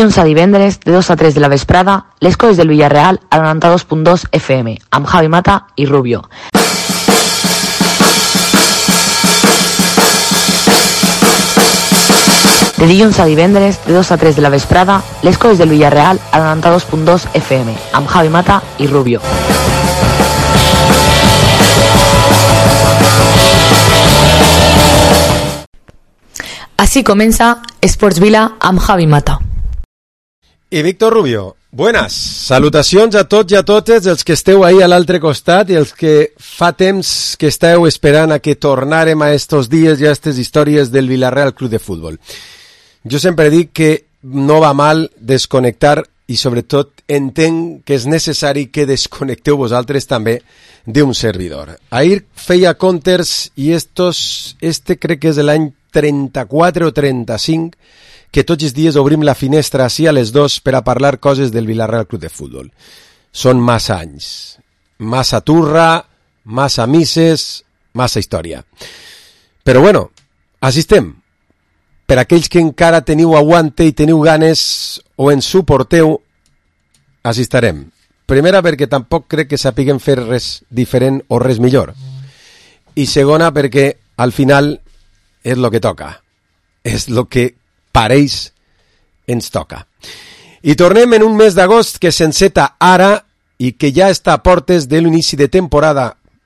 Dilluns a divendres, de 2 a 3 de la vesprada, les coses del Villarreal a 92.2 FM, amb Javi Mata i Rubio. De dilluns a divendres, de 2 a 3 de la vesprada, les coses del Villarreal a 92.2 FM, amb Javi Mata i Rubio. Así comienza Sports Vila amb Javi Mata. I Víctor Rubio, buenas. Salutacions a tots i a totes els que esteu ahí a l'altre costat i els que fa temps que esteu esperant a que tornarem a estos dies i a aquestes històries del Villarreal Club de Futbol. Jo sempre dic que no va mal desconnectar i sobretot entenc que és necessari que desconnecteu vosaltres també d'un servidor. Ahir feia comptes i este crec que és l'any 34 o 35 que tots els dies obrim la finestra així a les 2 per a parlar coses del Villarreal Club de Futbol. Són massa anys, massa turra, massa misses, massa història. Però bueno, així estem. Per aquells que encara teniu aguante i teniu ganes o ens suporteu, així estarem. Primera, perquè tampoc crec que sapiguem fer res diferent o res millor. I segona, perquè al final és el que toca. És el que pareix ens toca. I tornem en un mes d'agost que s'enceta ara i que ja està a portes de l'inici de temporada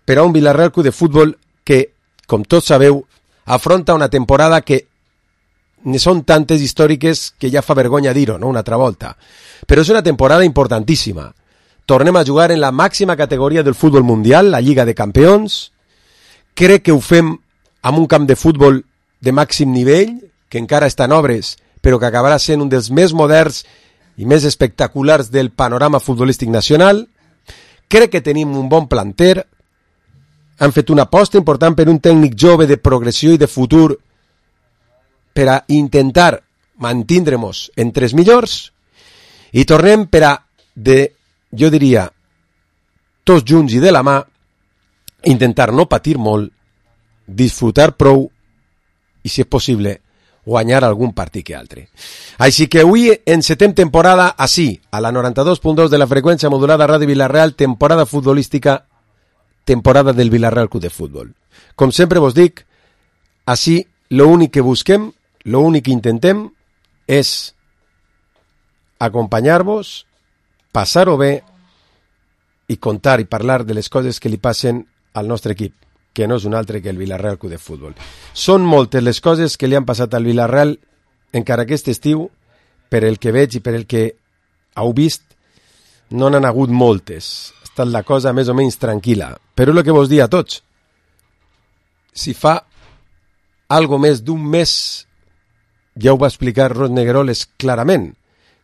per a un Villarreal Club de Futbol que, com tots sabeu, afronta una temporada que ne són tantes històriques que ja fa vergonya dir-ho, no? Una altra volta. Però és una temporada importantíssima. Tornem a jugar en la màxima categoria del futbol mundial, la Lliga de Campions. Crec que ho fem amb un camp de futbol de màxim nivell, que encara està en obres, però que acabarà sent un dels més moderns i més espectaculars del panorama futbolístic nacional. Crec que tenim un bon planter. Han fet una aposta important per un tècnic jove de progressió i de futur per a intentar mantindre-nos entre els millors. I tornem per a, jo diria, tots junts i de la mà, intentar no patir molt, disfrutar prou i, si és possible, guanyar algun partit que altre. Així que avui encetem temporada així, a la 92.2 de la freqüència modulada Ràdio Villarreal, temporada futbolística, temporada del Villarreal Club de Futbol. Com sempre vos dic, així l'únic que busquem, l'únic que intentem és acompanyar-vos, passar-ho bé i contar i parlar de les coses que li passen al nostre equip, que no és un altre que el Villarreal Club de Futbol. Són moltes les coses que li han passat al Villarreal encara aquest estiu, per el que veig i per el que heu vist, no n'han hagut moltes. Ha estat la cosa més o menys tranquil·la. Però és el que vos dic a tots. Si fa algo més d'un mes, ja ho va explicar Ros Negueroles clarament,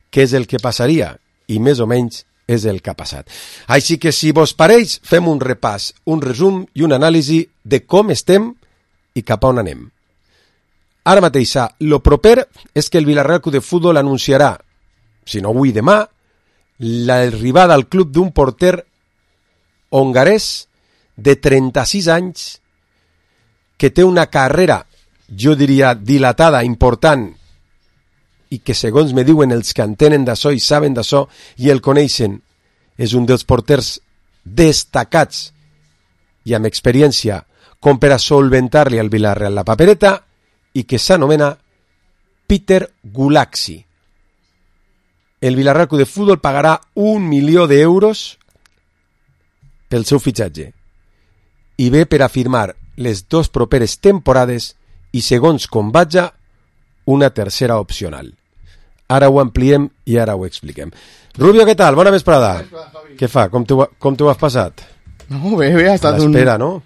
què és el que passaria, i més o menys és el que ha passat. Així que, si vos pareix, fem un repàs, un resum i un anàlisi de com estem i cap a on anem. Ara mateix, lo proper és que el Villarreal Club de Futbol anunciarà, si no avui demà, l'arribada al club d'un porter hongarès de 36 anys que té una carrera, jo diria, dilatada, important, i que, segons me diuen els que entenen d'això i saben d'això i el coneixen, és un dels porters destacats i amb experiència com per a solventar-li al Villarreal la papereta, i que s'anomena Peter Gulaxi. El Villarreal Club de Futbol pagarà 1 milió d'euros pel seu fitxatge i ve per a firmar les 2 properes temporades i, segons com vaja, una tercera opcional. Ara ho ampliem i ara ho expliquem. Rubio, què tal? Bona vesprada. Què fa? Com t'ho has passat? No, bé, ha estat l'espera, no?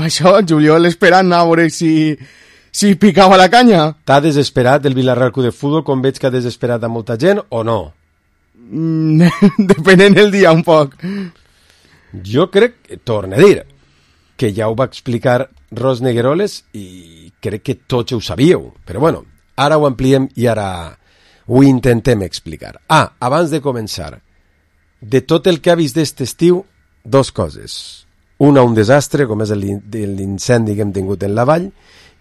Això, Juliol esperant a veure si picava la canya. T'ha desesperat el Villarreal Club de Futbol com veig que ha desesperat a molta gent o no? Depenent el dia un poc. Jo crec, torno a dir, que ja ho va explicar Ros Negueroles i crec que tots ho sabíeu. Però bueno, ara ho ampliem i ara ho intentem explicar. Abans de començar, de tot el que ha vist d'aquest estiu, 2 coses. Una, un desastre, com és l'incendi que hem tingut en la vall,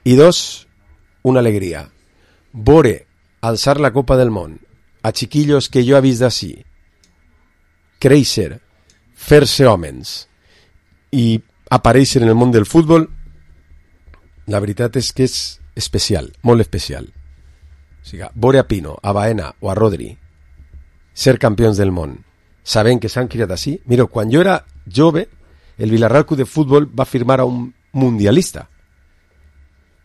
i 2, una alegria. Veure alçar la Copa del Món a chiquillos que jo he vist d'ací créixer, fer-se homes i aparèixer en el món del futbol, la veritat és que és especial, molt especial. O sigui, veure a Pino, a Baena o a Rodri ser campions del món, sabent que s'han criat així. Mireu, quan jo era jove, el Villarreal Club de Futbol va firmar a un mundialista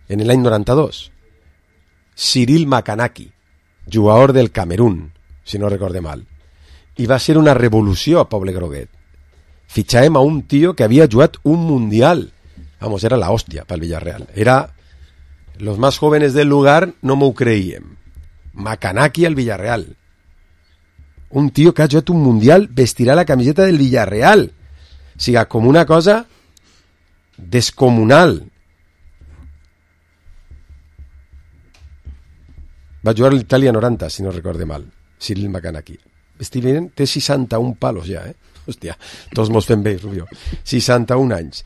en l'any 92, Cyril Makanaki, jugador del Camerún, si no recorde mal, i va ser una revolució a Poble Groguet. Fitxàvem a un tio que havia jugat un mundial. Vamos, era la hòstia pel Villarreal. Era los más jóvenes del lugar, no m'ho creíem. Makanaki al Villarreal. Un tio que ha jugat un mundial vestirà la camiseta del Villarreal. O sigui, com una cosa descomunal. Va jugar a l'Itàlia 90, si no recorde mal. Cyril Makanaki. Estic veient, té 61 palos ja, Hòstia, tots mos fem bé, Rubio. 61 anys.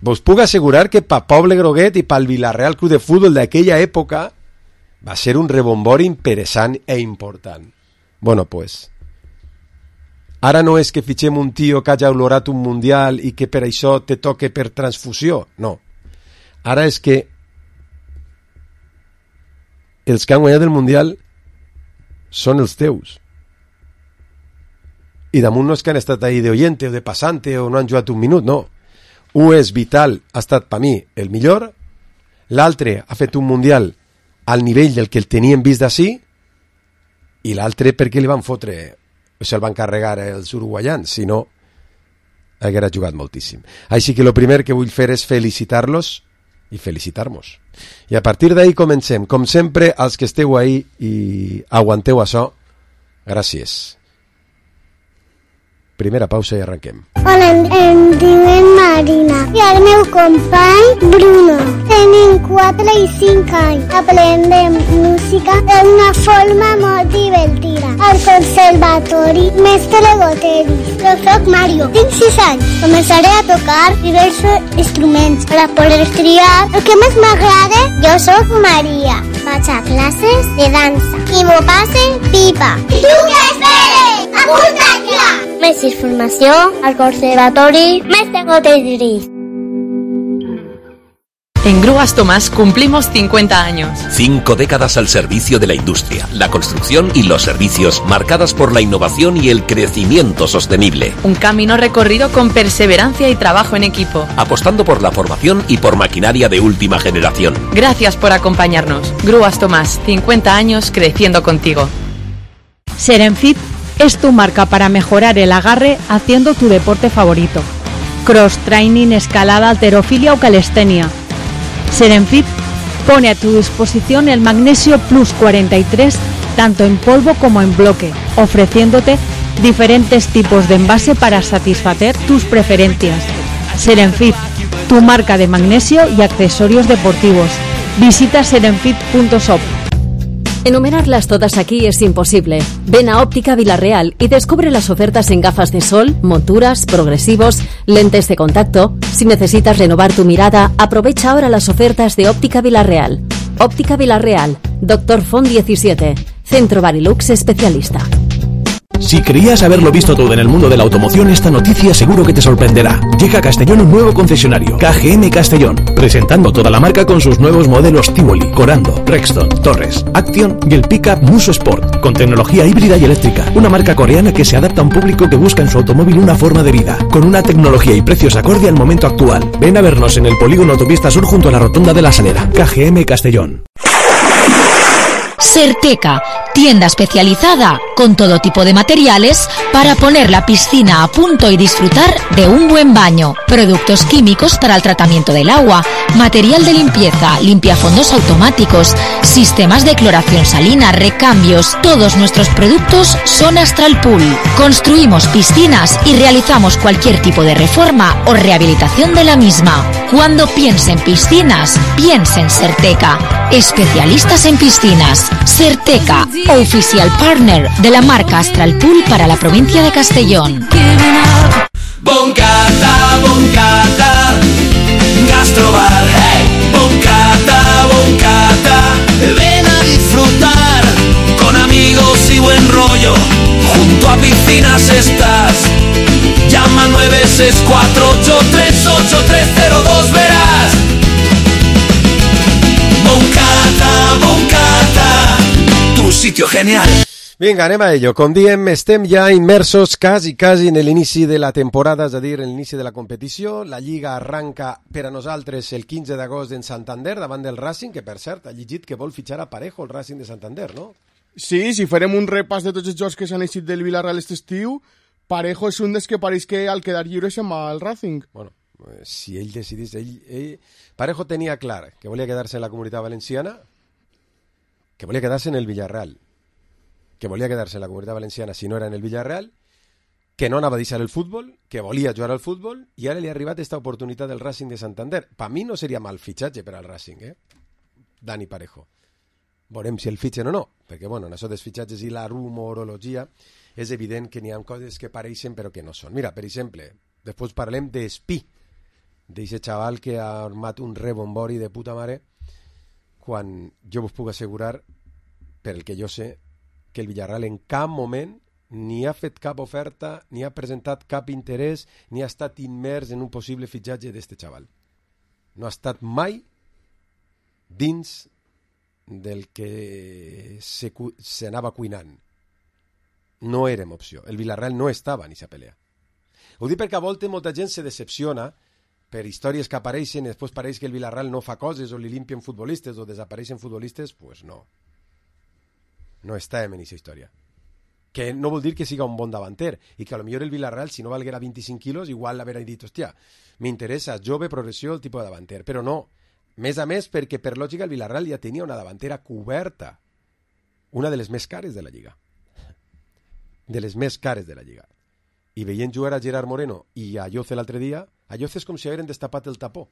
Vos puc assegurar que pa Poble Groguet i pel Villarreal Club de Futbol d'aquella època va ser un rebombori interessant e important. Bueno, pues, ara no és que fitxem un tio que hagi olorat un mundial i que per això te toque per transfusió, no. Ara és que els que han guanyat el mundial són els teus. I damunt no és que han estat ahí de oyente o de passante o no han jugat un minut, no. Un és vital, ha estat per mi el millor, l'altre ha fet un mundial al nivell del que el tenien vist d'ací, i l'altre perquè li van fotre, o se'l van carregar els uruguaians, si no haguera jugat moltíssim. Així que el primer que vull fer és felicitar-los i felicitar-nos. I a partir d'ahí comencem. Com sempre, als que esteu ahí i aguanteu això, gràcies. Primera pausa i arrenquem. Hola, em diuen Marina i el meu company Bruno. Tenim 4 i 5 anys. Aprendem música d'una forma molt divertida. Al conservatori Mestre Goteris. Jo soc Mario, tinc 6 anys. Començaré a tocar diversos instruments per a poder triar el que més m'agrada. Jo soc Maria. Vaig a classes de dansa i m'ho passe pipa. I tu què esperes? Apunta't ja! Més informació al Conservatori Mestre Goteris. En Grúas Tomás cumplimos 50 años. 5 décadas al servicio de la industria, la construcción y los servicios, marcadas por la innovación y el crecimiento sostenible. Un camino recorrido con perseverancia y trabajo en equipo. Apostando por la formación y por maquinaria de última generación. Gracias por acompañarnos. Grúas Tomás, 50 años creciendo contigo. Serenfit es tu marca para mejorar el agarre haciendo tu deporte favorito. Cross training, escalada, halterofilia o calistenia. Serenfit pone a tu disposición el Magnesio Plus 43 tanto en polvo como en bloque, ofreciéndote diferentes tipos de envase para satisfacer tus preferencias. Serenfit, tu marca de magnesio y accesorios deportivos. Visita serenfit.shop. Enumerarlas todas aquí es imposible. Ven a Óptica Villarreal y descubre las ofertas en gafas de sol, monturas, progresivos, lentes de contacto. Si necesitas renovar tu mirada, aprovecha ahora las ofertas de Óptica Villarreal. Óptica Villarreal, Dr. Font 17, Centro Barilux especialista. Si creías haberlo visto todo en el mundo de la automoción, esta noticia seguro que te sorprenderá. Llega a Castellón un nuevo concesionario, KGM Castellón, presentando toda la marca con sus nuevos modelos Tivoli, Corando, Rexton, Torres, Action y el pickup Muso Sport, con tecnología híbrida y eléctrica. Una marca coreana que se adapta a un público que busca en su automóvil una forma de vida, con una tecnología y precios acorde al momento actual. Ven a vernos en el polígono Autopista Sur junto a la Rotonda de la Salera. KGM Castellón. Certeca, tienda especializada con todo tipo de materiales para poner la piscina a punto y disfrutar de un buen baño. Productos químicos para el tratamiento del agua, material de limpieza, limpiafondos automáticos, sistemas de cloración salina, recambios. Todos nuestros productos son Astral Pool. Construimos piscinas y realizamos cualquier tipo de reforma o rehabilitación de la misma. Cuando piense en piscinas, piense en Certeca. Especialistas en piscinas. Certeca, oficial partner de la marca Astral Pool para la provincia de Castellón. Boncata, boncata, gastrobar, hey. Boncata, boncata, ven a disfrutar con amigos y oficinas estás. Llama al 964838302, verás. Moncada, tu sitio genial. Vinga, anem a ello. Com diem, estem ja immersos quasi en l'inici de la temporada, és a dir, en l'inici de la competició. La Lliga arranca per a nosaltres el 15 d'agost en Santander, davant del Racing, que per cert ha llegit que vol fitxar a Parejo, el Racing de Santander, no? Sí, si farem un repàs de tots els jocs que s'han eixit del Villarreal aquest estiu, Parejo és un dels que pareix que al quedar lliure se'n va al Racing. Bueno, si ell decidís... Parejo tenia clar que volia quedar-se en la Comunitat Valenciana, que volia quedar-se en el Villarreal, que volia quedar-se en la Comunitat Valenciana si no era en el Villarreal, que no anava a deixar el futbol, que volia jugar al futbol, i ara li ha arribat aquesta oportunitat del Racing de Santander. Per mi no seria mal fitxatge per al Racing, Dani Parejo. Veurem si el fitxen o no, perquè, bueno, en això dels fitxatges i la rumorologia és evident que n'hi ha coses que pareixen però que no són. Mira, per exemple, després parlem d'Espí, d'aquest xaval que ha armat un rebombori de puta mare, quan jo vos puc assegurar, per el que jo sé, que el Villarreal en cap moment ni ha fet cap oferta, ni ha presentat cap interès, ni ha estat immers en un possible fitxatge d'este xaval. No ha estat mai dins del que s'anava cuinant. No érem opció. El Villarreal no estava en aquesta pelea. Ho dic perquè a voltes molta gent se decepciona per històries que apareixen i després pareix que el Villarreal no fa coses o li limpien futbolistes o desapareixen futbolistes. Pues no. No estàvem en aquesta història. Que no vol dir que siga un bon davanter i que a lo millor el Villarreal, si no valguera 25 quilos, igual l'haurà dit, hòstia, m'interessa, jove, progressió, el tipus de davanter. Però no. Més a més, perquè per lògica el Villarreal ja tenia una davantera coberta. Una de les més cares de la Lliga. De les més cares de la Lliga. I veient jugar a Gerard Moreno i a Lloce l'altre dia, a Lloce és com si hagueren destapat el tapó.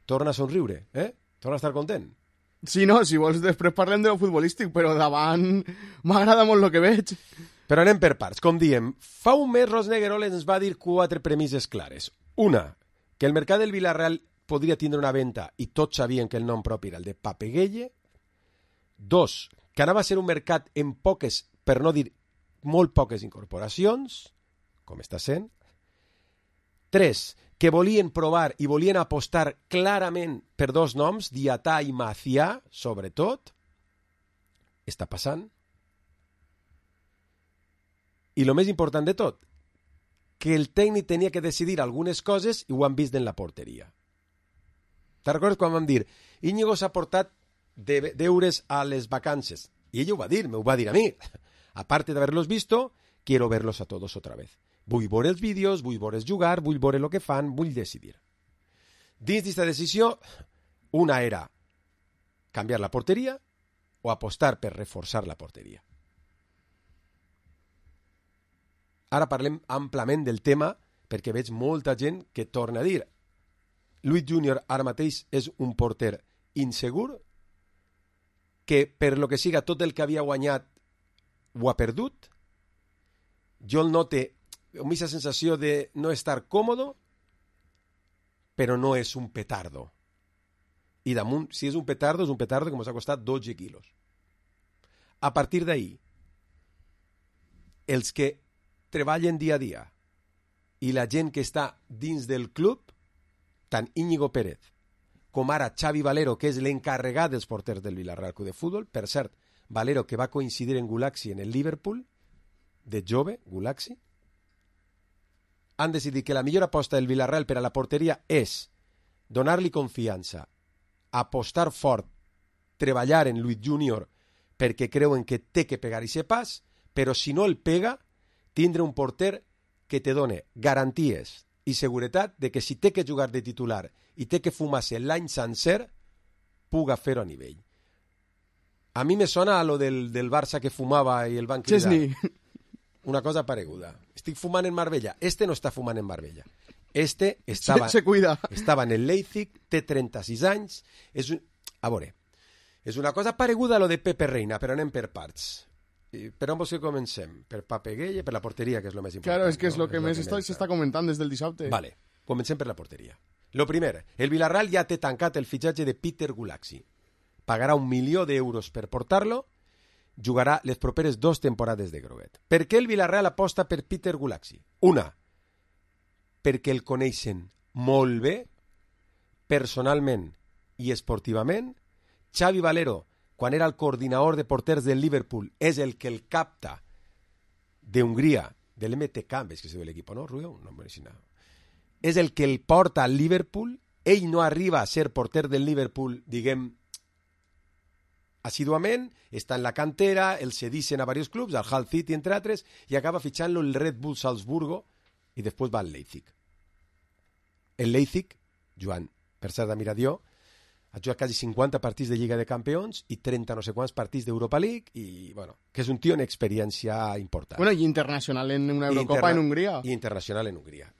Torna a somriure, torna a estar content. Sí, no, si vols després parlem de lo futbolístic, però davant m'agrada molt el que veig. Però anem per parts. Com diem, fa un mes Rosneguerol ens va dir 4 premisses clares. Una, que el mercat del Villarreal podria tindre una venda i tots sabien que el nom propi era el de Papeguelle. 2, que anava a ser un mercat amb poques, per no dir molt poques incorporacions, com està sent. 3, que volien provar i volien apostar clarament per 2 noms, Diatà i Macià, sobretot. Està passant. I el més important de tot, que el tècnic tenia que decidir algunes coses i ho han vist en la porteria. Te'n recordes quan vam dir Íñigo s'ha portat deures a les vacances? I ell ho va dir, m'ho va dir a mi. Aparte de haberlos visto, quiero verlos a todos otra vez. Vull veure els vídeos, vull veure'ls jugar, vull veure el que fan, vull decidir. Dins d'aquesta decisió, una era canviar la porteria o apostar per reforçar la porteria. Ara parlem amplament del tema perquè veig molta gent que torna a dir Luis Junior ara mateix és un porter insegur que per lo que siga tot el que havia guanyat ho ha perdut. Jo el note amb aquesta sensació de no estar còmodo, però no és un petardo. I damunt, si és un petardo que ens ha costat 12 quilos. A partir d'ahí, els que treballen dia a dia i la gent que està dins del club, tant Íñigo Pérez com ara Xavi Valero, que és l'encarregat dels porters del Villarreal Club de Futbol, per cert, Valero que va coincidir en Gulaxi en el Liverpool, de jove, Gulaxi, han decidit que la millor aposta del Villarreal per a la porteria és donar-li confiança, apostar fort, treballar en Luis Junior perquè creuen que té que pegar aquest pas, però si no el pega, tindre un porter que te done garanties i seguretat de que si té que jugar de titular i té que fumar-se l'any sencer, puga fer-ho a nivell. A mi me sona a lo del Barça que fumava i el van cridar. Chesney. Una cosa pareguda. Estic fumant en Marbella. Este no està fumant en Marbella. Este estava, se cuida. Estava en el Leipzig, té 36 anys. A veure, és una cosa pareguda a lo de Pepe Reina, però anem per parts. Per on vols que comencem? Per Papeguelle, per la porteria, que és el més important. Claro, és que és el que més s'està comentant des del dissabte. Vale, comencem per la porteria. Lo primer, el Villarreal ja té tancat el fitxatge de Peter Gulaxi. Pagarà 1 milió d'euros per portar-lo jugarà les properes 2 temporades de groguet. Per què el Villarreal aposta per Peter Gulaxi? Una, perquè el coneixen molt bé, personalment i esportivament. Xavi Valero, quan era el coordinador de porters del Liverpool, és el que el capta d'Hongria, del MTK, ves que se ve l'equip, no, Rubio? No, és el que el porta al Liverpool. Ell no arriba a ser porter del Liverpool, diguem, assiduament, està en la cantera, el cedicen a diversos clubs, al Hull City, entre altres, i acaba fitxant-lo el Red Bull Salzburgo, i després va al Leipzig. El Leipzig, Joan, per cert de Miradió, ha jugat quasi 50 partits de Lliga de Campions i 30 no sé quants partits d'Europa League, i, bueno, que és un tio en experiència important. Bueno, i internacional en una Eurocopa en Hongria. I internacional en Hongria.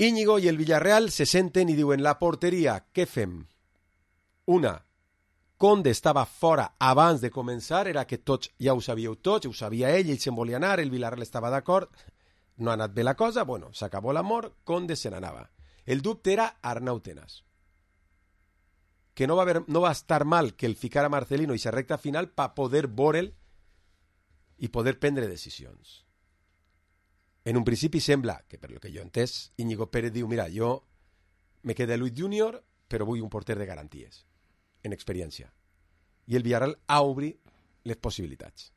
Íñigo i el Villarreal se senten i diuen, la porteria, què fem? Una, Conde estava fora abans de començar, era que tots ja ho sabíeu tots, ho sabia ell se'n volia anar, el Villarreal estava d'acord, no ha anat bé la cosa, bueno, s'acabó l'amor, Conde se n'anava. El dubte era Arnau Tenas, que no va estar mal que el ficara Marcelino i sa recta final per poder veure'l i poder prendre decisions. En un principi sembla que, per lo que jo he entès, Íñigo Pérez diu, mira, jo me queda Luis Junior, però vull un porter de garanties, en experiència. I el Villarreal obri les possibilitats.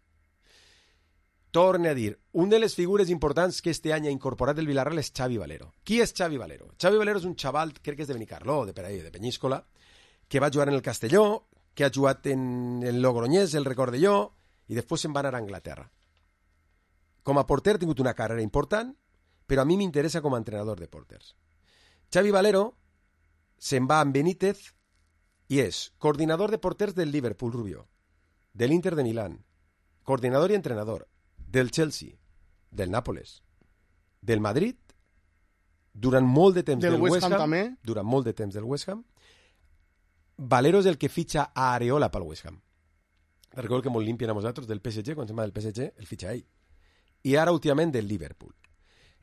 Torne a dir, una de les figures importants que este any ha incorporat el Villarreal és Xavi Valero. Qui és Xavi Valero? Xavi Valero és un xaval, crec que és de Benicarló, de Penyíscola, que va jugar en el Castelló, que ha jugat en el Logroñés, el Recordelló, i després se'n va anar a Anglaterra. Com a porter ha tingut una carrera important, però a mi m'interessa com a entrenador de porters. Xavi Valero se'n va amb Benítez i és coordinador de porters del Liverpool, Rubio, de l'Inter de Milán, coordinador i entrenador del Chelsea, del Nàpoles, del Madrid, durant molt de temps del West Ham també. Durant molt de temps del West Ham. Valero és el que fitxa a Areola pel West Ham. Recordo que molt limpien a nosaltres del PSG, quan se'n va del PSG, el fitxa ell. I ara últimament del Liverpool.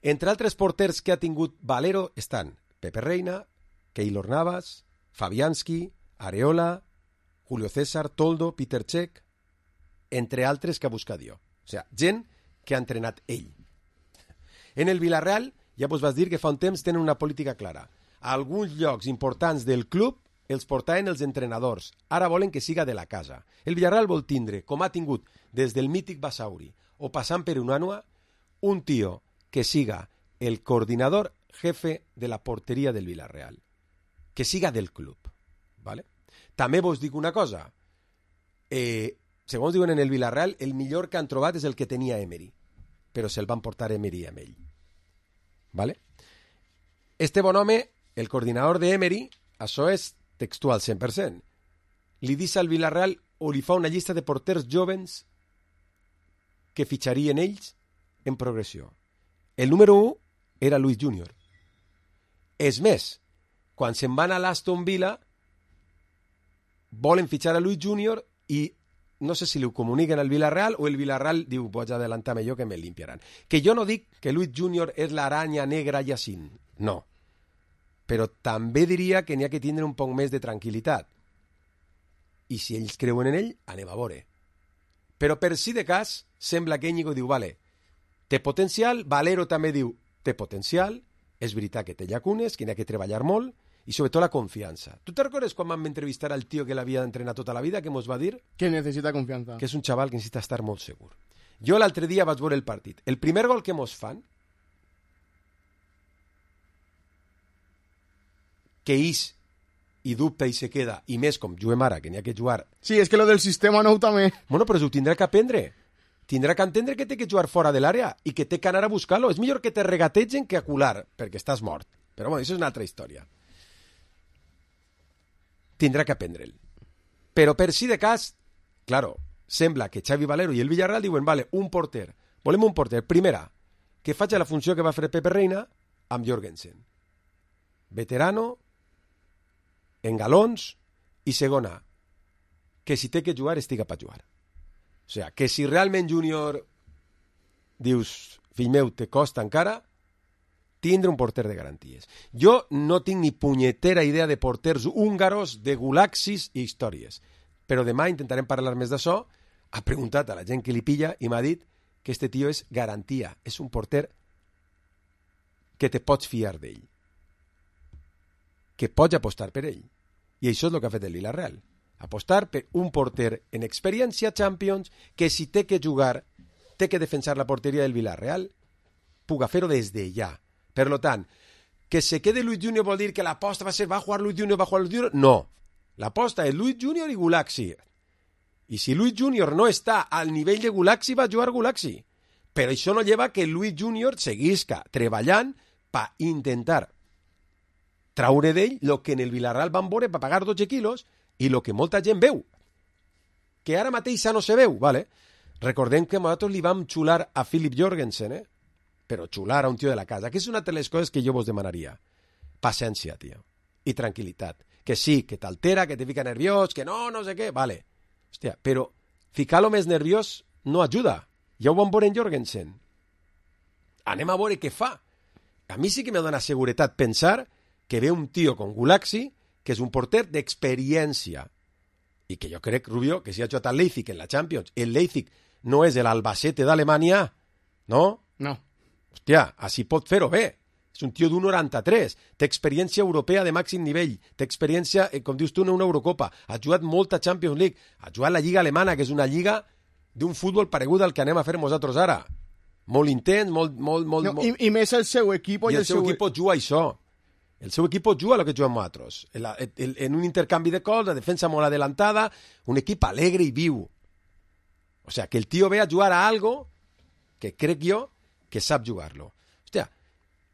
Entre altres porters que ha tingut Valero estan Pepe Reina, Keylor Navas, Fabianski, Areola, Julio César, Toldo, Peter Cech, entre altres que ha buscat jo. O sigui, gent que ha entrenat ell. En el Villarreal, ja vos vas dir que fa un temps tenen una política clara. A alguns llocs importants del club els portaven els entrenadors. Ara volen que siga de la casa. El Villarreal vol tindre, com ha tingut des del mític Basauri o passant per Unanua, un tio que siga el coordinador jefe de la porteria del Villarreal. Que siga del club. ¿Vale? També vos dic una cosa. Segons diuen en el Villarreal, el millor que han trobat és el que tenia Emery. Però se'l van portar Emery amb ell. ¿Vale? Este bon home, el coordinador de Emery, això és textual 100%. Li dice al Villarreal o li fa una llista de porters jovens que fitxarien ells en progressió. El número 1 era Luis Junior. És més, quan se'n van a l'Aston Villa, volen fitxar a Luis Junior i no sé si li ho comuniquen al Villarreal o el Villarreal diu, vaig adelantar-me jo que me limpiaran. Que jo no dic que Luis Junior és l'aranya negra Yacine, no. Però també diria que n'hi ha que tindre un poc més de tranquil·litat. I si ells creuen en ell, anem a veure. Però per si de cas, sembla que Íñigo diu, vale, té potencial, Valero també diu, té potencial, és veritat que té llacunes, que n'hi ha que treballar molt, i sobretot la confiança. Tu te recordes quan vam entrevistar al tio que l'havia d'entrenar tota la vida, que mos va dir? Que necessita confiança. Que és un xaval que necessita estar molt segur. Jo l'altre dia vaig veure el partit. El primer gol que mos fan, que és i dubta i se queda, i més com juguem ara, que n'hi ha que jugar... Sí, és que lo del sistema nou també... Bueno, però ho tindrà que aprendre. Tindrà que entendre que té que jugar fora de l'àrea i que té que anar a buscar-lo. És millor que te regategen que acular, perquè estàs mort. Però bueno, això és una altra història. Tindrà que aprendre'l. Però per si de cas, claro, sembla que Xavi Valero i el Villarreal diuen, vale, un porter. Volem un porter. Primera, que faci la funció que va fer Pepe Reina amb Jorgensen. Veterano, en galons, i segona, que si té que jugar, estiga per jugar. O sigui, que si realment Júnior dius, fill meu, te costa encara, tindre un porter de garanties. Jo no tinc ni punyetera idea de porters húngaros, de gulaxis i històries. però demà intentarem parlar més d'això. Ha preguntat a la gent que li pilla i m'ha dit que este tio és garantia, és un porter que te pots fiar d'ell, que pots apostar per ell. I això és el que ha fet el Villarreal. Apostar per un porter en experiència Champions que si té que jugar, té que defensar la porteria del Villarreal, puga fer-ho des de ja. Per tant, que se quede Luis Junior vol dir que l'aposta va ser va jugar Luis Junior? No. L'aposta és Luis Junior i Gulaxi. I si Luis Junior no està al nivell de Gulaxi, va jugar Gulaxi. Però això no lleva que Luis Junior seguisca treballant per intentar traure d'ell el que en el Villarreal van veure per pagar 12 quilos i el que molta gent veu. Que ara mateix no se veu, ¿vale? Recordem que nosaltres li vam xular a Philip Jorgensen, però xular a un tio de la casa, que és una de les coses que jo vos demanaria. Paciència, tio. I tranquil·litat. Que sí, que t'altera, que te fica nerviós, que no sé què, vale. Hòstia, però ficar-lo més nerviós no ajuda. Ja ho vam veure en Jorgensen. Anem a veure què fa. A mi sí que me dona seguretat pensar que ve un tio con Gulaxi, que és un porter d'experiència. I que jo crec, Rubio, que si ha jugat al Leipzig en la Champions, el Leipzig no és l'Albacete d'Alemanya, no? No. Hòstia, així pot fer-ho bé. És un tio d'1,93, té experiència europea de màxim nivell, té experiència, com dius tu, en una Eurocopa, ha jugat molta Champions League, ha jugat la Lliga Alemana, que és una lliga d'un futbol paregut al que anem a fer nosaltres ara. Molt intens, molt... I més el seu equip... I el seu equip juga això. El seu equip juga el que juguem nosaltres. En un intercanvi de cols, la defensa molt adelantada, un equip alegre i viu. O sea, que el tio ve a jugar a algo que crec jo que sap jugar-lo. Hòstia,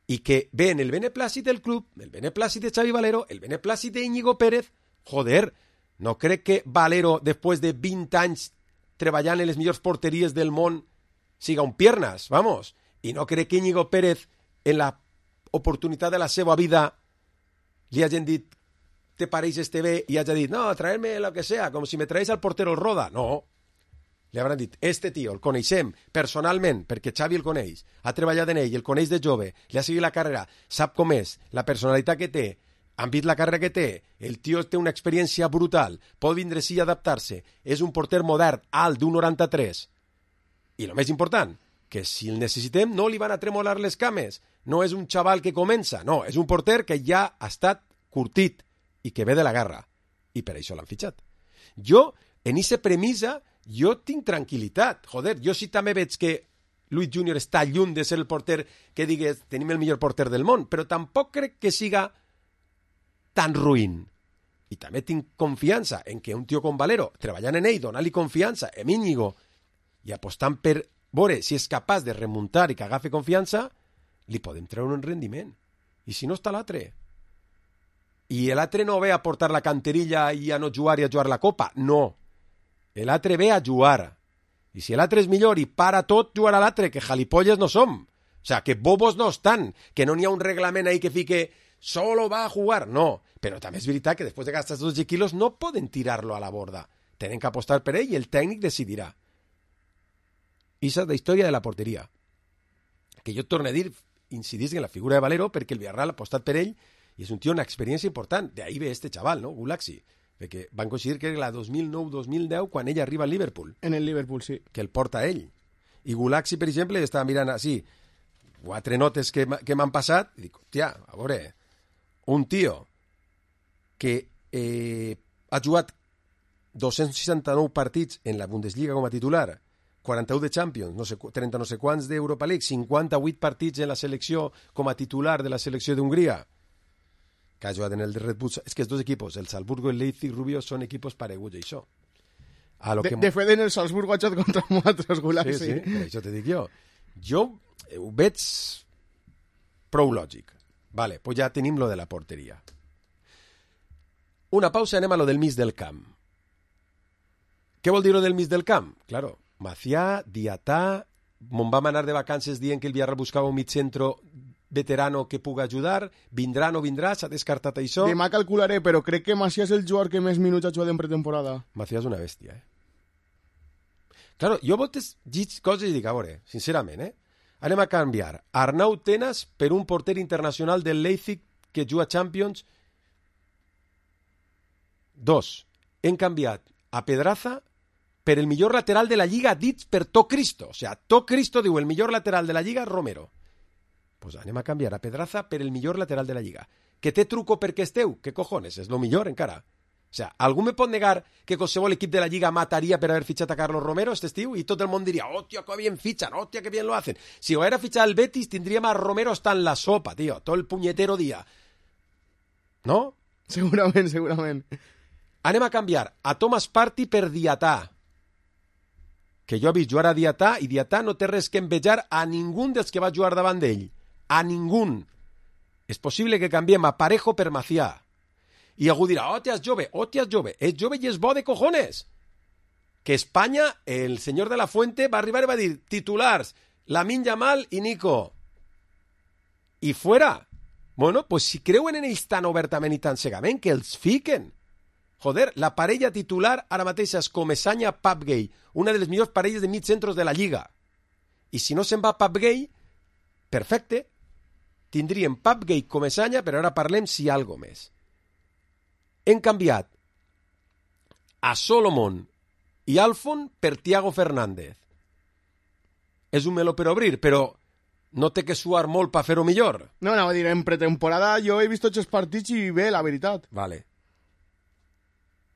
i que ve en el beneplàcit del club, el beneplàcit de Xavi Valero, el beneplàcit de Íñigo Pérez. Joder, no crec que Valero, després de 20 anys treballant en les millors porteries del món, siga un piernas, vamos. I no crec que Íñigo Pérez, en la oportunitat de la seva vida, li hagin dit te pareix este bé i hagi dit, no, traer-me lo que sea, com si me traeix al portero el Roda. No. Li hauran dit, este tio el coneixem personalment, perquè Xavi el coneix, ha treballat en ell, el coneix de jove, li ha seguit la carrera, sap com és, la personalitat que té, han vist la carrera que té, el tio té una experiència brutal, pot vindre sí a adaptar-se, és un porter modern, alt, d'1,93. I el més important, que si el necessitem no li van a tremolar les cames, no és un xaval que comença, no, és un porter que ja ha estat curtit i que ve de la guerra, i per això l'han fitxat. Jo, en aquesta premissa, jo tinc tranquil·litat. Joder, jo sí també veig que Luis Junior està lluny de ser el porter que digues tenim el millor porter del món, però tampoc crec que siga tan ruïn. I també tinc confiança en que un tio com Valero, treballant en ell, donar-li confiança, en Íñigo, i apostant per veure si és capaç de remuntar i que agafi confiança, li podem treure un rendiment. I si no està l'altre? I l'altre no ve a portar la canterilla i a no jugar i a jugar la copa. No. L'altre ve a jugar. I si l'altre és millor i para tot, jugarà l'altre, que jalipolles no som. O sea, que bobos no estan, que no n'hi ha un reglament ahí que fique solo va a jugar. No. Però també és veritat que després de gastar 12 quilos no poden tirar-lo a la borda. Tenen que apostar per ell i el tècnic decidirà. I és la història de la porteria. Que jo torno a dir, incidís en la figura de Valero perquè el Villarreal ha apostat per ell i és un tio amb una experiència important. De ahí ve este chaval, ¿no? Gulaxi. Perquè van coincidir que era la 2009-2010 quan ell arriba al Liverpool. En el Liverpool, sí. Que el porta ell. I Gulaxi, per exemple, estava mirant així 4 notes que m'han passat i dic, hòstia, a veure, un tio que ha jugat 269 partits en la Bundesliga com a titular, 41 de Champions, 30 no sé quants d'Europa League, 58 partits en la selecció com a titular de la selecció d'Hongria, que ha jugat en el Red Bull. És que els dos equipos, el Salzburgo i el Leipzig Rubio, són equipos pareguts, això. De fet, en el Salzburgo ha jugat contra nosaltres, Gulaxi. Sí, per això te dic jo. Jo ho veig prou lògic. Vale, pues ja tenim lo de la porteria. Una pausa, anem a lo del mig del camp. Què vol dir lo del mig del camp? Claro, Macià, Diatà, me'n vam anar de vacances dient que el Villarreal buscava un mig centro veterano que pugui ajudar, vindrà o no vindrà, s'ha descartat això. Demà calcularé, però crec que Macià és el jugador que més minuts ha jugat en pretemporada. Macià és una bèstia, Claro, jo voltes llits coses i dic, a veure, sincerament, anem a canviar Arnau Tenas per un porter internacional del Leipzig que juga Champions. 2. Hem canviat a Pedraza per el millor lateral de la Lliga dit per tot Cristo. O sea, tot Cristo diu el millor lateral de la Lliga, Romero. Pues anem a canviar a Pedraza per el millor lateral de la Lliga. Que té truco perquè esteu? Què cojones? És lo millor encara. O sea, algú me pot negar que qualsevol equip de la Lliga mataria per haver fitxat a Carlos Romero este estiu? I tot el món diria, hòstia, que bien fichan, hòstia, que bien lo hacen. Si ho hubiera fichado el Betis, tindríem a Romero hasta en la sopa, tío, todo el puñetero día. ¿No? Segurament. Anem a canviar a Thomas Partey per Diatà. Que jo he vist jugar a Diatà i Diatà no té res que envejar a ningú dels que va jugar davant d'ell. A ningú. És possible que canviem a Parejo per Macià. I algú dirà, hòstia, és jove. És jove i és bo de cojones. Que Espanya, el senyor de la Fuente, va arribar i va dir, titulars, Lamine Yamal i Nico. I fuera. Bueno, pues si creuen en ells tan obertament i tan cegament, que els fiquen. Joder, la parella titular ara mateix és Comesaña-Pape Gueye, una de les millors parelles de mitjacentros de la Lliga. I si no se'n va Pape Gueye, perfecte, tindríem Pape Gueye, Comesaña, però ara parlem si hi ha algo més. Hem canviat a Solomon i Alfon per Thiago Fernández. És un meló per obrir, però no té que suar molt per fer-ho millor. No, anava a dir, en pretemporada jo he vist tots els partits i bé, la veritat. Vale.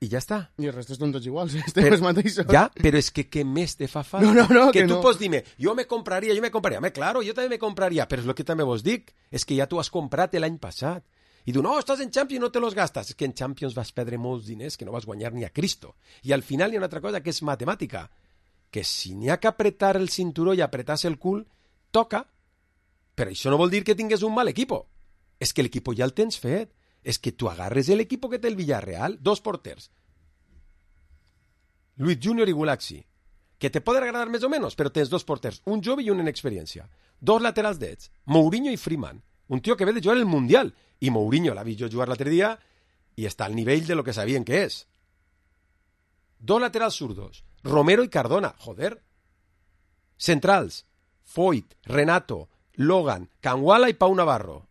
I ja està. I els restes són tots iguals, estem els mateixos. Ja, però és que què més te fa falta? No, que tu no. pots dir-me, jo me compraria. Home, claro, jo també me compraria, però és el que també vos dic, és que ja tu has comprat l'any passat. I diu, no, estàs en Champions i no te los gastas. És que en Champions vas perdre molts diners que no vas guanyar ni a Cristo. I al final hi ha una altra cosa que és matemàtica, que si n'hi ha que apretar el cinturó i apretar-se el cul, toca. Però això no vol dir que tingues un mal equipo. És que l'equipo ja el tens fet. És que tu agarres l'equipo que té el Villarreal, 2 porters. Luis Junior i Gulaxi, que te poden agradar més o menys, però tens 2 porters, un jove i un en experiència. 2 laterals drets, Mourinho i Freeman. Un tio que ve de jugar el Mundial. I Mourinho l'ha vist jo jugar l'altre dia i està al nivell de lo que sabien que és. 2 laterals zurdos, Romero i Cardona, joder. Centrals, Foyt, Renato, Logan, Canguala i Pau Navarro.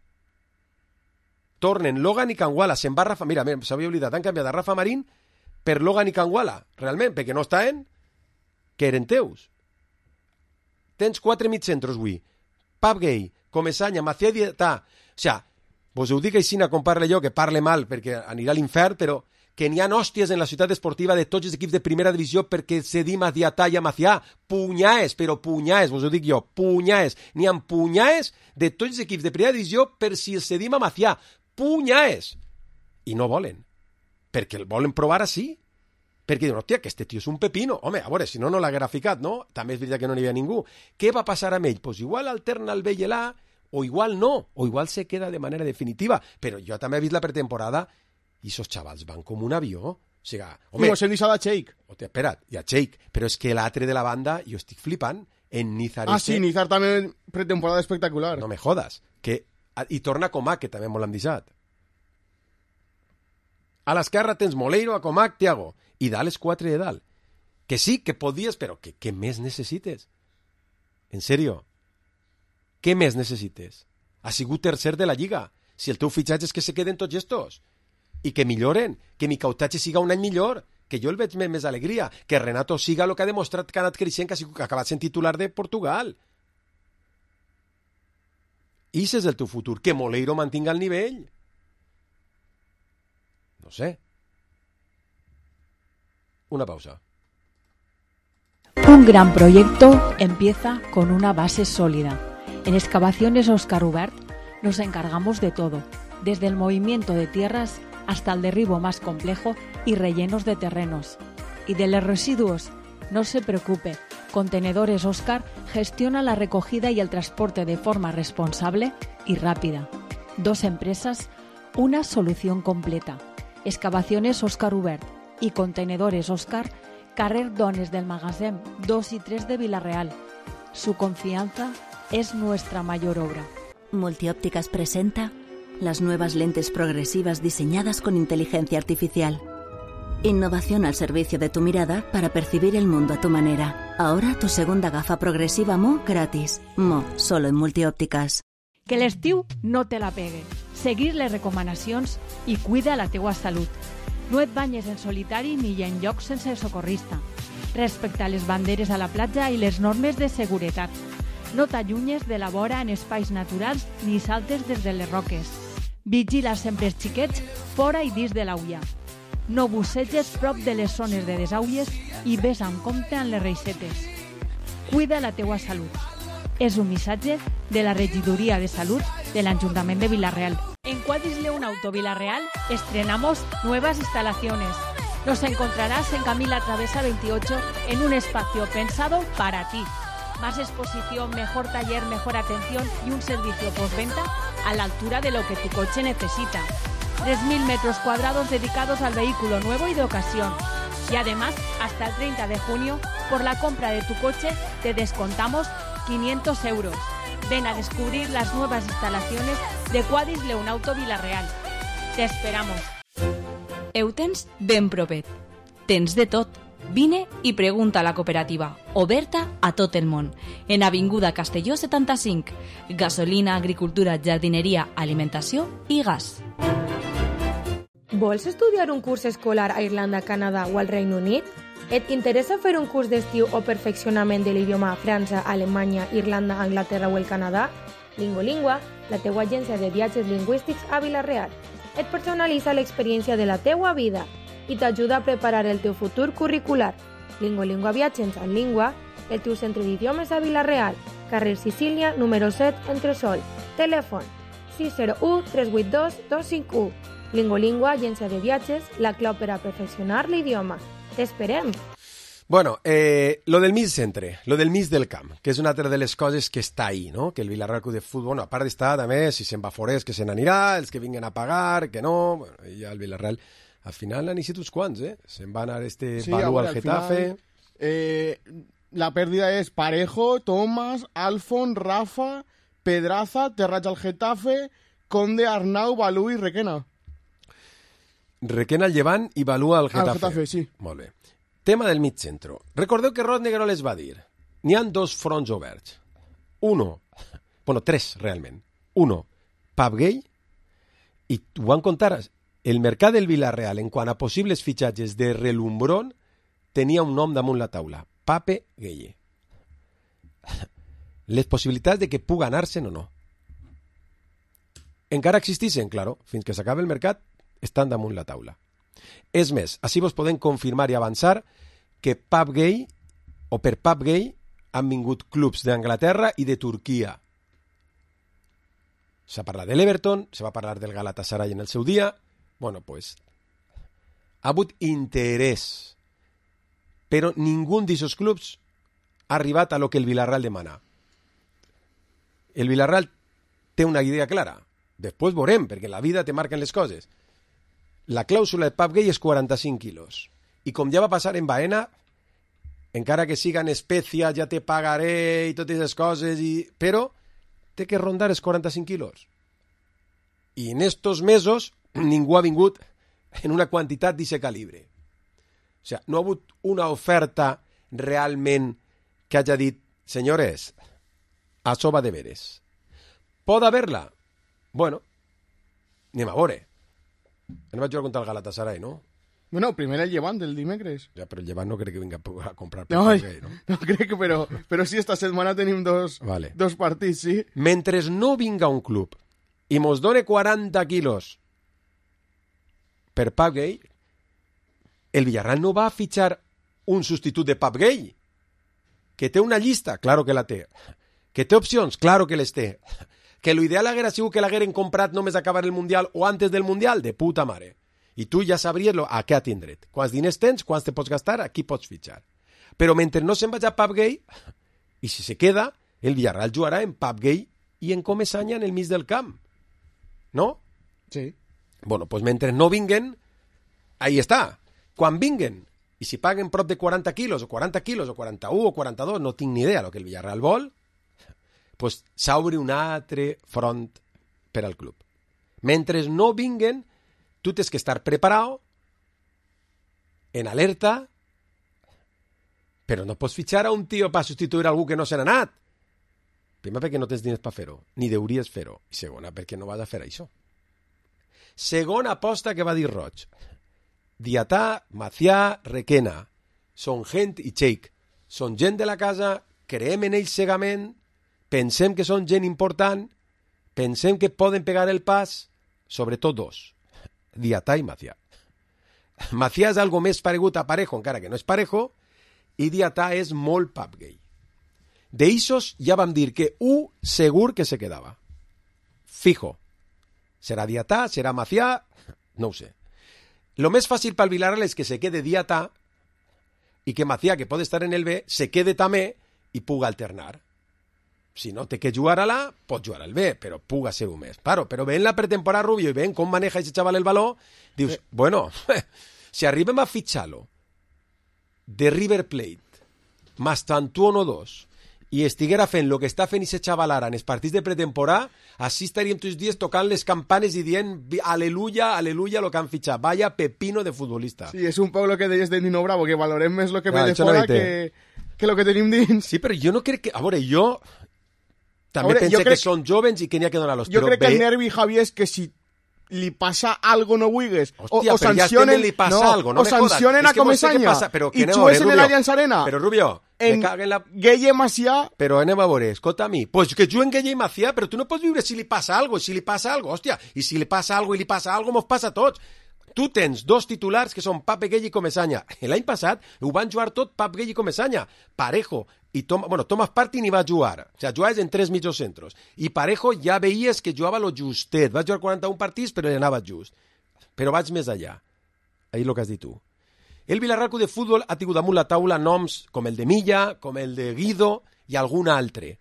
Tornen Logan i Canguala, se'n va Rafa... Mira, s'havia oblidat, han canviat a Rafa Marín per Logan i Canguala, realment, perquè no estaven, que eren teus. Tens 4 mitjacentros avui. Pape Gueye, Comesaña, Macià i Diatà. O sigui, vos ho dic així com parle jo, que parle mal perquè anirà a l'infern, però que n'hi ha hòsties en la ciutat esportiva de tots els equips de primera divisió perquè cedim a Diatà i a Macià. Punyaes, però punyaes, vos ho dic jo, punyaes. N'hi ha punyaes de tots els equips de primera divisió per si els cedim a Macià. Punyaes. I no volen. Perquè el volen provar així. Perquè diuen, hòstia, que este tio és un pepino. Home, a veure, si no, no l'haguera ficat, no? També és veritat que no n'hi havia ningú. Què va passar amb ell? Pues igual alterna el B i l'A, o igual no, o igual se queda de manera definitiva. Però jo també he vist la pretemporada i esos xavals van com un avió. O sigui, home... No, s'he deixat a Cheik. Hòstia, espera't, hi ha Cheik. Però és que l'altre de la banda, jo estic flipant. En Nizar... Sí, Nizar també pretemporada espectacular. No me jodas. Que... I torna Comac, que també molt l'han deixat. A l'esquerra tens Moleiro, a Comac, Thiago. I dalt els 4 de dalt. Que sí, que podies, però què més necessites? En sèrio? Què més necessites? Ha sigut tercer de la Lliga. Si el teu fitxatge és que se queden tots estos. I que milloren. Que mi cautatge siga un any millor. Que jo el veig més alegria. Que Renato siga el que ha demostrat que ha anat creixent, que ha acabat sent titular de Portugal. I ese és el teu futur. Que Moleiro mantinga el nivell. No sé. Una pausa. Un gran proyecto empieza con una base sólida. En Excavaciones Óscar Ubert nos encargamos de todo, desde el movimiento de tierras hasta el derribo más complejo y rellenos de terrenos. Y de los residuos, no se preocupe, Contenedores Óscar gestiona la recogida y el transporte de forma responsable y rápida. 2 empresas, una solución completa. Excavaciones Óscar Ubert y Contenedores Óscar, carrer Dones del Magasin 2 y 3 de Villarreal. Su confianza es nuestra mayor obra. Multiópticas presenta las nuevas lentes progresivas diseñadas con inteligencia artificial. Innovación al servicio de tu mirada para percibir el mundo a tu manera. Ahora tu segunda gafa progresiva Mo gratis. Mo, solo en Multiópticas. Que l'estiu no te la pegue. Seguir les recomanacions i cuida la teua salut. No et banyes en solitari ni en llocs sense socorrista. Respecta les banderes a la platja i les normes de seguretat. No t'allunyes de la vora en espais naturals ni saltes des de les roques. Vigila sempre els xiquets fora i dins de l'aulla. No busseges prop de les zones de desaules i ves amb compte en les reixetes. Cuida la teua salut. És un missatge de la Regidoria de Salud de l'Ajuntament de Vila-real. En Quadris León Auto Vila-real estrenamos nuevas instalaciones. Nos encontrarás en Camila Travesa 28 en un espacio pensado para ti. Más exposición, mejor taller, mejor atención y un servicio postventa a la altura de lo que tu coche necesita. 3.000 metros cuadrados dedicados al vehículo nuevo y de ocasión. Y además, hasta el 30 de junio, por la compra de tu coche, te descontamos 500 euros. Ven a descubrir las nuevas instalaciones de Quadris León Auto Vila-real. Te esperamos. Eutens ben propet. Tens de tot. Vine i pregunta a la cooperativa, oberta a tot el món, en Avinguda Castelló 75. Gasolina, agricultura, jardineria, alimentació i gas. Vols estudiar un curs escolar a Irlanda, Canadà o al Regne Unit? Et interessa fer un curs d'estiu o perfeccionament de l'idioma a França, Alemanya, Irlanda, Anglaterra o el Canadà? Lingolingua, la teua agència de viatges lingüístics a Vila-real. Et personalitza l'experiència de la teua vida i t'ajuda a preparar el teu futur curricular. Lingolingua Viatges en Língua, el teu centre d'idiomes a Vila-real, carrer Sicília, número 7, Entresol. Telèfon 601 382 251. Lingolingua, agència de viatges, la clau per a perfeccionar l'idioma. T'esperem. Bueno, lo del mig centre, lo del mig del camp, que és una altra de les coses que està ahí, no? Que el Vila-real Club de Futbol, bueno, a part d'estar, també, si se'n va forés, que se n'anirà, els que vinguen a pagar, que no, bueno, i ja el Vila-real, al final n'han eixit uns quants, se'n va anar Balú al Getafe. Final, la pèrdida és Parejo, Tomás, Alfon, Rafa, Pedraza, Terrats al Getafe, Conde, Arnau, Balú i Requena. Requena al Llevant i Balú al Getafe. Al Getafe, sí. Molt bé. Tema del mig centre. Recordeu que Rod Negrol les va dir. N'hi ha dos fronts oberts. Tres, realment. Pub gay, i ho van contar. El mercat del Vila-real, en quant a possibles fitxatges de relumbrón, tenia un nom damunt la taula. Pape Gueye. Les possibilitats de que puga anar-se'n o no. Encara existeixen, claro, fins que s'acabi el mercat, estan damunt la taula. És més, així vos podem confirmar i avançar que Pub Gay, o per Pub Gay, han vingut clubs d'Anglaterra i de Turquia. S'ha parlat de l'Everton, se va parlar del Galatasaray en el seu dia. Bueno, pues, ha hagut interès, però ningú d'aquests clubs ha arribat a lo que el Vila-real demana. El Vila-real té una idea clara. Després veurem, perquè la vida te marquen les coses. La clàusula de Pub Gay és 45 quilos. I com ja va passar en Baena, encara que siga en Espècia, ja te pagaré i totes les coses, però té que rondar els 45 quilos. I en estos mesos ningú ha vingut en una quantitat d'aquest calibre. O sigui, no ha hagut una oferta realment que hagi dit, senyores, això va de veres. Pot haver-la? Bueno, anem a veure. No vaig jugar contra el Galatasaray, no? Bueno, primer el Llevant del dimecres. Ja, però el Llevant no crec que vinga a comprar per Gay, no? No crec, però sí, esta setmana tenim dos partits, sí. Mentre no vinga un club i mos done 40 quilos per Pub Gay, el Villarreal no va a fitxar un substitut de Pub Gay. Que té una llista, claro que la té. Que té opcions, claro que les té. Que l'ideal haguera sigut que l'hagueren comprat només acabar el Mundial o antes del Mundial, de puta mare. I tu ja sabries a què atindre't. Quants diners tens, quants te pots gastar, aquí pots fitxar. Però mentre no se'n vagi a Pub Gay, i si se queda, el Villarreal jugarà en Pub Gay i en Comesaña en el mig del camp. ¿No? Sí. Bueno, pues mentre no vinguen, ahí està. Quan vinguen, i si paguen prop de 40 quilos, o 40 quilos, o 41, o 42, no tinc ni idea del que el Villarreal vol, pues s'obre un altre front per al club. Mentre no vinguen, tu tens que estar preparat, en alerta, però no pots fitxar a un tio per substituir algú que no se n'ha anat. Primer, perquè no tens diners per fer-ho, ni deuries fer-ho. I segona, perquè no vas a fer això. Segona aposta que va dir Roig. Diatà, Macià, Requena. Són gent i Cheik. Són gent de la casa, creem en ells cegament, pensem que són gent important, pensem que poden pegar el pas, sobretot dos, Diatà i Macià. Macià és algo més paregut a Parejo, encara que no és Parejo, i Diatà és molt pub gay. D'eixos ja vam dir que segur que se quedava. Fijo. Serà Diatà, serà Macià, no ho sé. Lo més fàcil pel Villarreal és que se quede Diatà i que Macià, que pot estar en el B, se quede també i puga alternar. Si no té que jugar a l'A, pot jugar al B, però puga ser un més. Claro, però veient la pretemporada Rubio i veient com maneja aquest xaval el baló, dius, bueno, si arribem a fitxar-lo de River Plate, más Tantuono 2, i estiguera fent el que està fent aquest xaval ara en els partits de pretemporada, així estaríem tots els dies tocant les campanes i dient aleluya, aleluya, lo que han fitxat. Vaya pepino de futbolista. Sí, és un poc el que deies de Nino Bravo, que valorem més el que ve de fora que el que tenim dins. Sí, però jo no crec que... A veure, jo també pense que són jovens i que n'hi ha que donar-los. Jo crec que el nervi, Javi, és que si li passa algo no vulguis, o sancionen, o sancionen a Comesaña i xues en l'Allianz Arena. Però, Rubio, en Gueye Macià... Però anem a veure, escolta a mi, pues que juguen Gueye i Macià, però tu no pots viure si li passa algo, hòstia, i si li passa algo, mos passa a tots. Tu tens dos titulars que són Pape Gueye i Comesaña. L'any passat ho van jugar tot Pape Gueye i Comesaña. Parejo i Thomas Partey ni va jugar. O sigui, jugaves en 3 mitjocentros. I Parejo ja veies que jugava lo justet. Va jugar 41 partits, però li anava just. Però vaig més allà. Ahí lo que has dit tu. El Villarreal de Futbol ha tingut damunt la taula noms com el de Milla, com el de Guido i algun altre.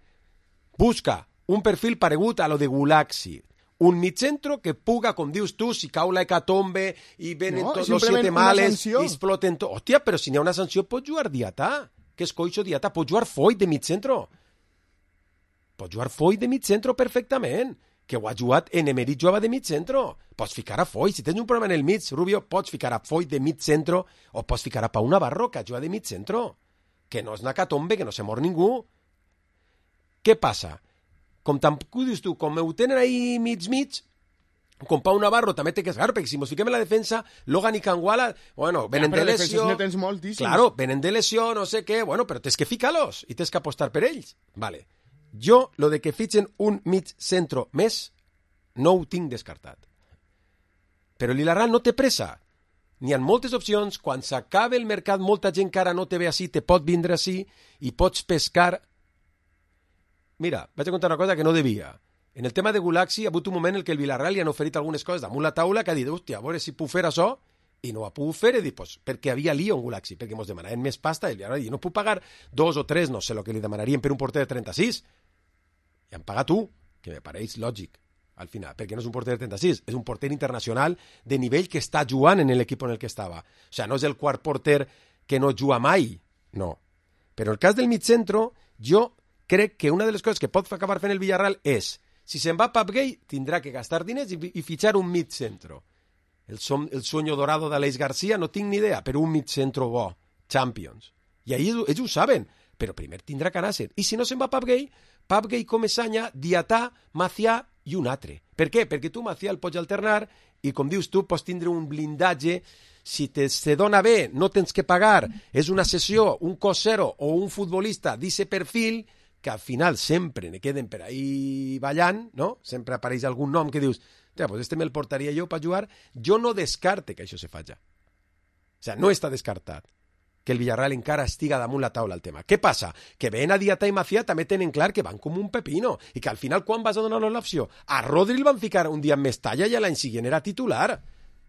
Busca un perfil paregut a lo de Gulaxi. Un mitjentro que puga, com dius tu, si cau la hecatombe i venen tots els 7 males i exploten tot. Hòstia, però si n'hi ha una sanció pot jugar Diatà. Que és coixo Diatà? Pot jugar Foyt de mitjentro. Pot jugar Foyt de mitjentro perfectament. Que ho ha jugat en Emery, jugava de mitjentro. Pots ficar a Foyt. Si tens un problema en el mig, Rubio, pots ficar a Foyt de mitjentro o pots ficar a Pau Navarro, que juga de mitjentro. Que no és una hecatombe, que no se mor ningú. Què passa? Com tampoc dius tu, com ho tenen ahí mig, com Pau Navarro també té que esgar, perquè si mos fiquem en la defensa, Logan i Canguala, bueno, venen de lesió, claro, venen de lesió, no sé què, bueno, però tens que ficar-los i tens que apostar per ells. Vale. Jo, lo de que fitxen un mig centro més, no ho tinc descartat. Però el Villarreal no té pressa. N'hi ha moltes opcions, quan s'acabe el mercat, molta gent que ara no te ve així, te pot vindre així i pots pescar. Mira, vaig a contar una cosa que no devia. En el tema de Gulaxi ha hagut un moment en què el Villarreal li han oferit algunes coses damunt la taula que ha dit, hòstia, a veure si puc fer això, i no ho ha pogut fer, i dit, pues, perquè havia lío en Gulaxi, perquè ens demanaven més pasta, i el Villarreal no puc pagar 2 o 3, no sé el que li demanarien per un porter de 36. I han pagat 1, que me pareix lògic, al final, perquè no és un porter de 36, és un porter internacional de nivell que està jugant en l'equip en el que estava. O sigui, no és el quart porter que no juga mai, no. Però el cas del mitjentro, jo crec que una de les coses que pot acabar fent el Villarreal és, si se'n va Pape Gueye, tindrà que gastar diners i fitxar un mig centro. El sueño dorado d'Aleix García, no tinc ni idea, però un mig centro bo, Champions. I ahí ells ho saben, però primer tindrà que anar-se. I si no se'n va Pape Gueye, Comesaña, Diatà, Macià i un altre. Per què? Perquè tu, Macià, el pots alternar i, com dius tu, pots tindre un blindatge. Si se dona bé, no tens que pagar, és una sessió, un cosero o un futbolista d'aquest perfil, que al final sempre ne queden per ahí ballant, no? Sempre apareix algun nom que dius, pues este me'l portaria jo per jugar. Jo no descarte que això se faci. O sigui, no està descartat que el Villarreal encara estiga damunt la taula el tema. Què passa? Que ven a Diatà i Macià també tenen clar que van com un pepino i que al final quan vas a donar-los l'opció? A Rodri el van ficar un dia en Mestalla i l'any següent era titular.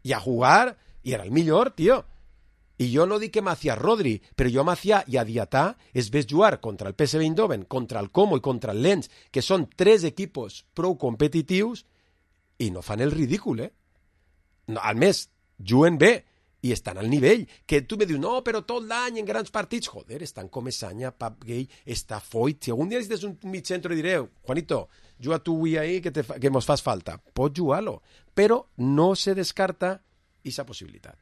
I a jugar, i era el millor, tio. I jo no dic que Macià Rodri, però jo a Macià i a Diatà es ves jugar contra el PSV Eindhoven, contra el Como i contra el Lens, que són 3 equipos prou competitius, i no fan el ridícul, No, al més, juguen bé i estan al nivell. Que tu me dius, no, però tot l'any en grans partits, joder, estan Comesaña, Pape Gueye, està Foyt. Si algun dia necessites un mig centre i diré, Juanito, juga tu avui ahí que mos fas falta. Pots jugar-lo, però no se descarta aquesta possibilitat.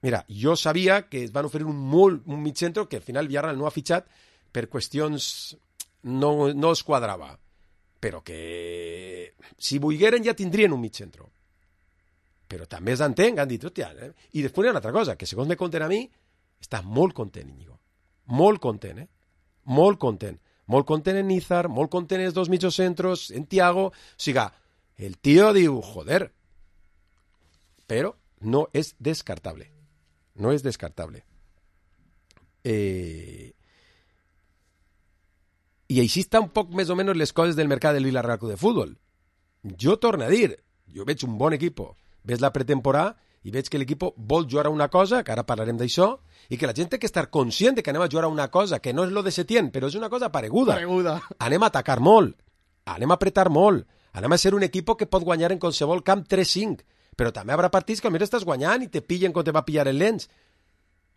Mira, jo sabia que es van oferir un mig centro que al final Villarreal no ha fitxat per qüestions no es quadrava. Però que si volgueren ja tindrien un mig centro. però també s'entenc, han dit, hòstia, I després hi ha una altra cosa, que segons me conten a mi, està molt content, Íñigo. Molt content, Molt content. Molt content en Nízar, molt content en els dos mitjocentros, en Thiago. O sigui, el tio diu, joder, però no és descartable. No és descartable. I així està un poc més o menys les coses del mercat del Villarreal Club de Futbol. Jo torno a dir, jo veig un bon equip, veig la pretemporada i veig que l'equip vol jugar a una cosa, que ara parlarem d'això, i que la gent té que estar conscient de que anem a jugar a una cosa, que no és lo de Setién, però és una cosa pareguda. Anem a atacar molt, anem a apretar molt, anem a ser un equip que pot guanyar en qualsevol camp 3-5, però també hi haurà partits que almenys estàs guanyant i te pillen quan te va pillar el Lens.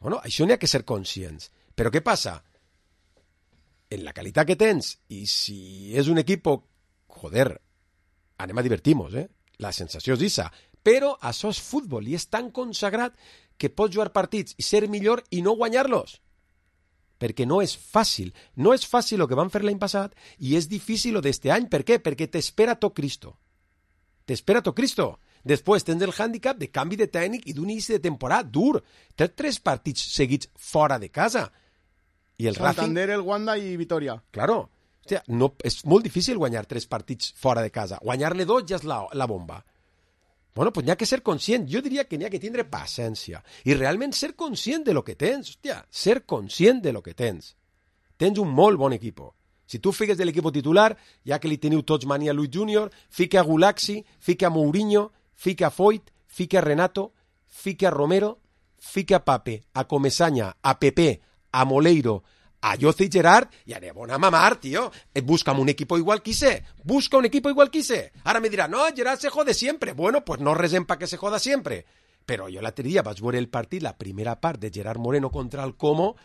Bueno, això n'hi ha que ser conscients. Però què passa? En la qualitat que tens, i si és un equip, joder, anem a divertir-nos, La sensació és issa. Però això és futbol i és tan consagrat que pots jugar partits i ser millor i no guanyar-los. Perquè no és fàcil. No és fàcil el que van fer l'any passat i és difícil el d'este any. Per què? Perquè t'espera tot Cristo. T'espera tot Cristo. Després tens el hàndicap de canvi de tècnic i d'un inici de temporada dur. Tens 3 partits seguits fora de casa. I el Santander, el Wanda i Vitoria. Claro. Hòstia, no, és molt difícil guanyar 3 partits fora de casa. Guanyar-ne 2 ja és la bomba. Bueno, pues n'hi ha que ser conscient. Jo diria que n'hi ha que tindre paciència. I realment ser conscient de lo que tens. Hòstia, ser conscient de lo que tens. Tens un molt bon equip. Si tu fiques de l'equip titular, ja que li teniu tots mania a Luis Junior, fica a Gulaxi, fica a Mourinho, fica a Foyt, fica a Renato, fica a Romero, fica a Pape, a Comesaña, a Pepe, a Moleiro, a Jose y Gerard, y anem a mamar, tío. Búscame un equipo igual que hice. Busca un equipo igual que hice. Ahora me dirá, no, Gerard se jode siempre. Bueno, pues no resem para que se joda siempre. Però jo l'altre dia vaig veure el partit, la primera part de Gerard Moreno contra el Como,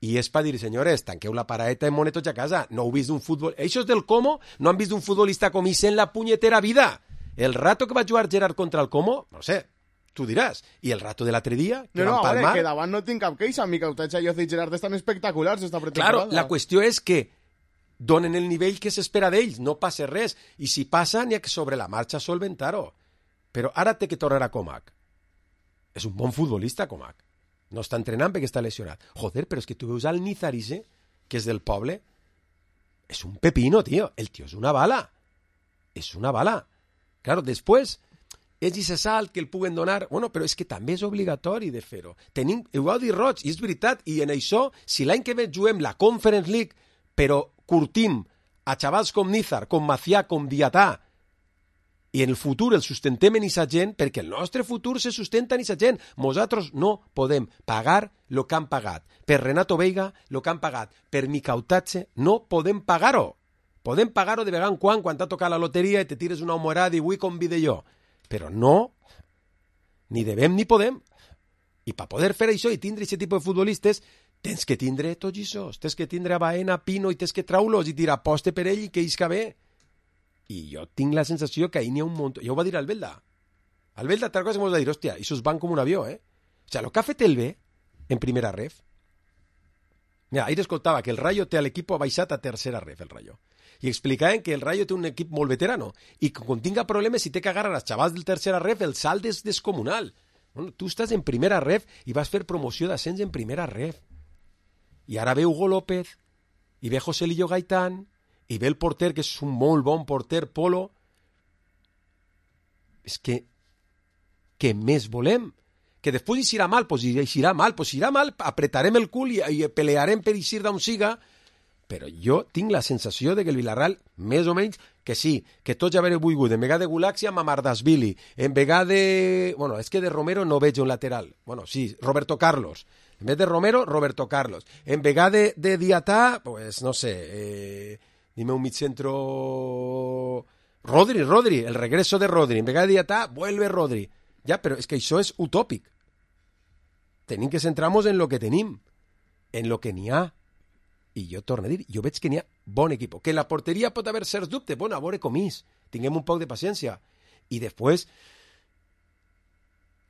i és per dir, senyores, tanqueu la paraeta i monetos a casa. No heu vist un futbol... Eixos del Como no han vist un futbolista com hice en la punyetera vida. El rato que va jugar Gerard contra el Como, no sé, tu diràs. I el rato de l'altre dia, que van palmar... No, que davant no tinc cap queixa. Mi cautatge i Jose i Gerard estan espectaculars esta pretemporada. Claro, la qüestió és que donen el nivell que s'espera d'ells, no passa res. I si passa, n'hi ha que sobre la marxa solventar-ho. Però ara té que tornar a Comac. És un bon futbolista, Comac. No està entrenant perquè està lesionat. Joder, però és que tu veus al Nizarise, que és del poble, és un pepino, tio. El tio és una bala. És una bala. Claro, després, és i se salt que el puguen donar... Bueno, però és que també és obligatori de fer-ho. Tenim Eudadi Roig, i és veritat, i en això, si l'any que ve juguem la Conference League, però curtim a xavals com Nízar, com Macià, com Diatà, i en el futur el sustentem en aquesta gent, perquè el nostre futur se sustenta en aquesta gent. Nosaltres no podem pagar el que han pagat. Per Renato Veiga, el que han pagat. Per Micautatge, no podem pagar-ho. Podem pagar-ho de vegada en quan t'ha tocat la loteria i te tires una humorada i avui convide jo. Però no, ni devem ni podem. I per poder fer això i tindre aquest tipus de futbolistes, tens que tindre tots aquests. Tens que tindre a Baena, Pino, i tens que traulos i tirar aposte per ell i que isca bé. I jo tinc la sensació que ahir n'hi ha un munt... Ja ho va dir Albelda. Albelda, tal cosa que m'ho va dir, hòstia, això es van com un avió, O sigui, el que ha fet el bé, en primera ref... Mira, ahir escoltava que el Rayo té l'equip baixat a tercera ref, el Rayo. I explicaven que el Rayo té un equip molt veterano i que quan tinga problemes, si té que agarrar els xavals del tercera ref, el salt és descomunal. Bueno, tu estàs en primera ref i vas fer promoció d'ascens en primera ref. I ara ve Hugo López, i ve José Lillo Gaitán, i ve el porter, que és un molt bon porter, Polo. És que què més volem? Que després eixirà mal, pues eixirà mal, apretarem el cul i pelearem per eixir d'on siga, però jo tinc la sensació de que el Villarreal, més o menys, que sí, que tots ja haver volgut, en vegada de Gulaxi amb Amardashvili, en vegada de... Bueno, és que de Romero no veig un lateral. Bueno, sí, Roberto Carlos. En vez de Romero, Roberto Carlos. En vegada de Diatà, pues, no sé... Dime un midcentro... Rodri, el regreso de Rodri. En vegada de Diatà, vuelve Rodri. Ja, però és que això és utòpic. Tenim que centrar-nos en lo que tenim, en lo que n'hi ha. I jo torno a dir, jo veig que n'hi ha bon equip. Que en la porteria pot haver certs dubtes, bueno, a veure com és. Tinguem un poc de paciència. I després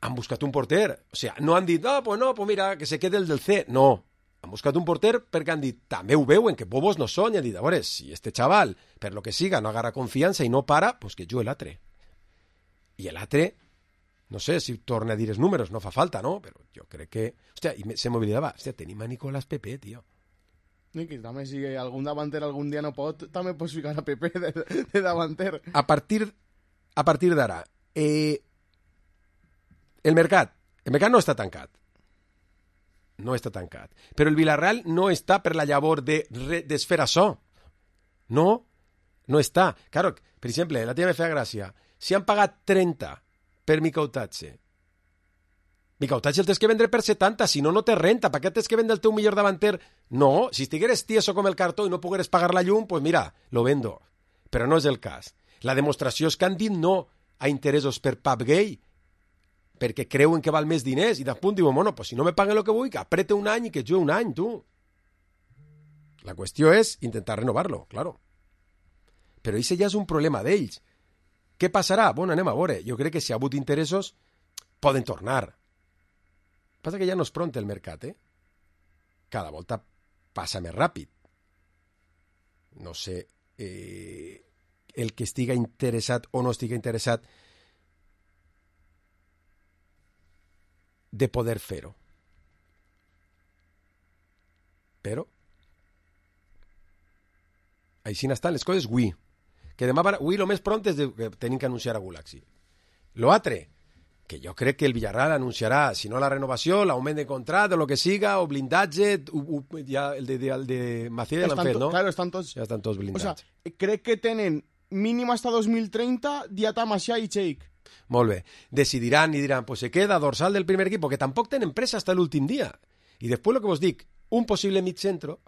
han buscat un porter. O sigui, no han dit, no, pues mira, que se quede el del C. No. Han buscat un porter perquè han dit, també ho veuen, que bobos no són, i han dit, a veure, si este xaval, per lo que siga, no agarra confiança i no para, pues que jo l'altre. I l'altre No sé si torna a dir els números, no fa falta, no? Però jo crec que... Hòstia, i se m'oblidava. Hòstia, tenim a Nicolás Pepe, tio. I que també si algun davanter algun dia no pot, també pots ficar a Pepe de davanter. A partir d'ara, el mercat no està tancat. No està tancat. Però el Villarreal no està per la llavor de desfer això. No està. Claro, per exemple, la tia me feia gràcia. Si han pagat 30 per Mikautatge el tens que vendre per 70, si no, no té renta. Per què tens que vendre el teu millor davanter? No, si estigueres tieso com el cartó i no pogueres pagar la llum, pues mira, lo vendo. Però no és el cas. La demostració és que han dit no a interessos per Pape Gueye, perquè creuen que val més diners, i després diuen, bueno, pues si no me paguen el que vull, que aprete un any i que jugue un any, tu. La qüestió és intentar renovar-lo, claro. Però això ja és un problema d'ells. Què passarà? Bueno, anem a veure. Jo crec que si ha hagut interessos, poden tornar. Passa que ja no és pront el mercat, eh? Cada volta passa més ràpid. No sé el que estiga interessat o no estiga interessat de poder fer-ho. Però així n'estan les coses avui. Que demà, avui el més pront és que tenim que anunciar a Gulaxi. Lo altre, que jo crec que el Villarreal anunciarà, si no la renovació, l'augment de contracte, o el que siga, o blindatge, ja el de Macías ja l'han fet, no? Claro, estan tots... Ja estan tots blindats. O sea, crec que tenen mínim hasta 2030 Diata, Macià i Cheik. Molt bé. Decidiran i diran, pues se queda dorsal del primer equip, que tampoc tenen pressa hasta l'últim dia. I després el que vos dic, un possible mig centro,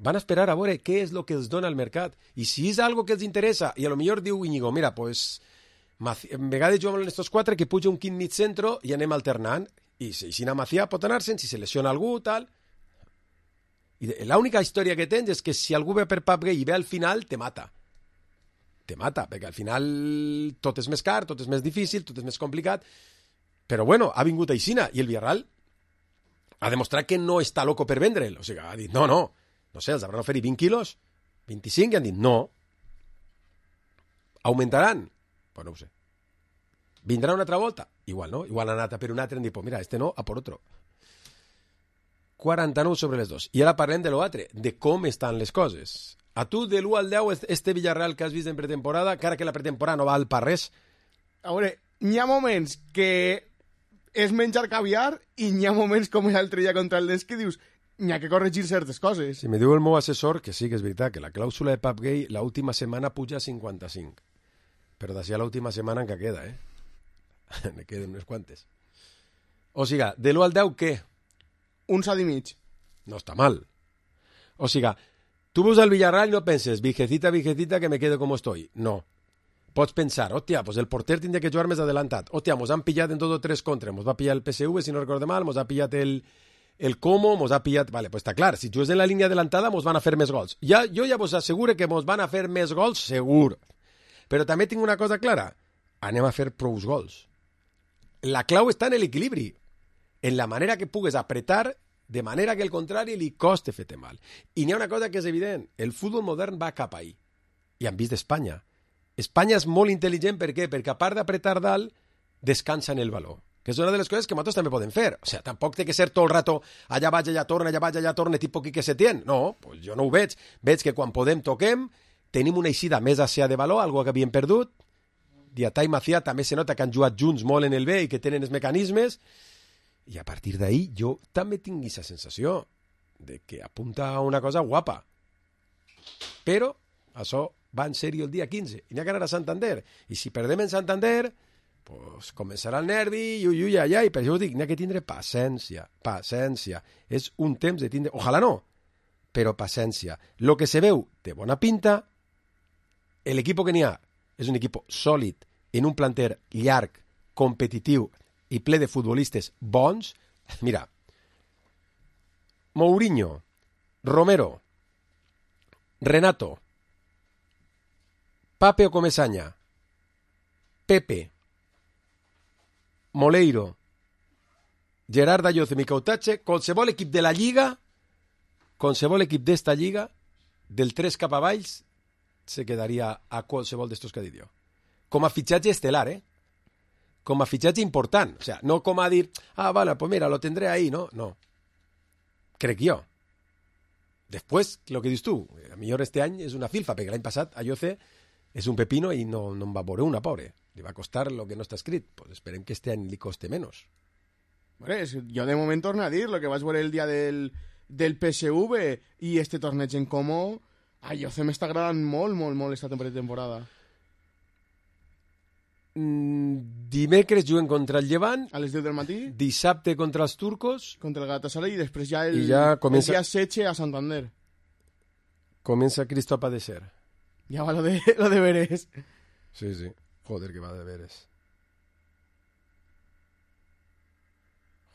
van a esperar a veure què és el que els dona el mercat. I si és algo que els interessa, i a lo millor diu Íñigo, mira, pues, en vegades juguem en estos 4, que puja un quint mig centro i anem alternant. I si a Macià pot anar-se'n, si se lesiona algú, tal. I l'única història que tens és que si algú ve per Pape Gueye i ve al final, te mata. Te mata, perquè al final tot és més car, tot és més difícil, tot és més complicat. Però bueno, ha vingut aixina, i el Villarreal ha demostrat que no està loco per vendre'l. O sigui, ha dit, no sé, els hauran oferit 20 quilos, 25, i han dit no. Augmentaran? Pues no ho sé. Vindrà una altra volta? Igual no, igual han anat a per un altre i han dit, pues mira, este no, a por otro. 49 sobre les 2. I ara parlem de l'altre, de com estan les coses. A tu, de l'1 al 10, este Villarreal que has vist en pretemporada, que ara que la pretemporada no val per res. A veure, n'hi ha moments que és menjar caviar i n'hi ha moments com l'altre dia contra el Desc que dius, n'hi ha que corregir certes coses. Si me diu el meu assessor que sí que és veritat, que la clàusula de Pape Gueye l'última setmana puja a 55. Però d'ací a l'última setmana encara queda, Ne queden unes quantes. O sigui, de l'1 al 10, què? Un 7 i mig. No està mal. O sigui, tu veus al Villarreal i no penses, vigecita, que me quedo com estoy. No. Pots pensar, hòstia, pues el porter tindria que jugar més adelantat. Hòstia, mos han pillat en 2 o 3 contra. Mos va pillar el PSV, si no recordo mal, mos ha pillat el Como, mos ha pillat... Vale, pues està clar, si jugues en la línia adelantada mos van a fer més gols. Jo ja vos asseguro que mos van a fer més gols, segur. Però també tinc una cosa clara. Anem a fer prous gols. La clau està en l'equilibri. En la manera que pugues apretar de manera que el contrari li coste fer-te mal. I n'hi ha una cosa que és evident. El futbol modern va cap ahí. I han vist Espanya. Espanya és molt intel·ligent, per què? Perquè a part d'apretar dalt, descansa en el valor. Que és una de les coses que nosaltres també podem fer. O sigui, tampoc té que ser tot el rato allà vaig, allà torna, allà vaig, allà torna, tipus Quique Setién. No, pues jo no ho veig. Veig que quan podem toquem, tenim una eixida més àsia de valor, algo que havíem perdut. Diatà i Macià també se nota que han jugat junts molt en el B i que tenen els mecanismes. I a partir d'ahí jo també tinc aquesta sensació de que apunta a una cosa guapa. Però això va en sèrio el dia 15. I n'hi ha que anar a Santander. I si perdem en Santander, pues començarà el nervi, i per això us dic, n'hi ha que tindre paciència. Paciència. És un temps de tindre... Ojalà no, però paciència. Lo que se veu de bona pinta, l'equip que n'hi ha és un equip sòlid, en un planter llarg, competitiu i ple de futbolistes bons. Mira, Mourinho, Romero, Renato, Pape Ocomesaña, Pepe, Moleiro, Gerard Dayoz i Mikautatge, qualsevol equip de la Lliga, qualsevol equip d'esta Lliga, del 3 cap a baix, se quedaria a qualsevol d'estos que he dit jo. Com a fitxatge estel·lar, com a fitxatge important. O sea, no com a dir, vale, pues mira, lo tendré ahí, no? No. Crec jo. Després, lo que dius tu, a millor este any és una filfa, perquè l'any passat a Yoce és un pepino i no en va veure una, pobre. Li va costar lo que no està escrit. Pues esperem que este any li coste menos. Bueno, jo de moment torno a dir, lo que vas veure el dia del PSV i este torneig en Como, a Yoce m'està agradant molt, molt, molt esta temporada. Dimecres juguen contra el Llevant a les 10 del matí, dissabte contra els turcos, contra el Galatasaray, i després ja el comença... el dia 16 a Santander. Comença Cristo a padecer. Ja va lo de veres. Sí. Joder, que va de veres.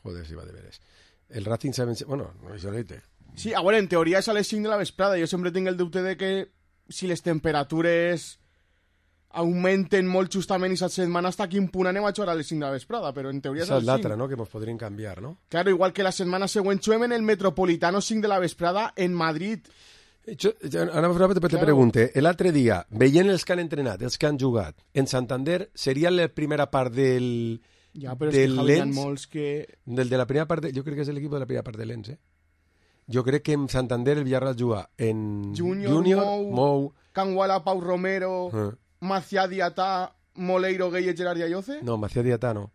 Joder, si va de veres. El Racing sabe... Bueno, no és ahorita. Sí, a veure, en teoria és a les 5 de la vesprada. Jo sempre tinc el dubte de que si les temperatures augmenten molt justament aquesta setmana, hasta quin punt anem a jugar a les 5 de la vesprada, però en teoria és a les 5. l'altra, no?, que ens podrien canviar, no? Claro, igual que la setmana següent juguem en el Metropolitano 5 de la vesprada en Madrid. Ara te pregunte, l'altre dia, veient els que han entrenat, els que han jugat, en Santander, seria la primera part del... Ja, però és que Javi, molts que... Del de la primera part, jo crec que és l'equip de la primera part de l'Ens, Jo crec que en Santander el Villarreal juga en Junior Mou, Canguala, Pau Romero... Macià Diatà, Moleiro, Gueye, Gerard i Ayoce? No, Macià Diatà no.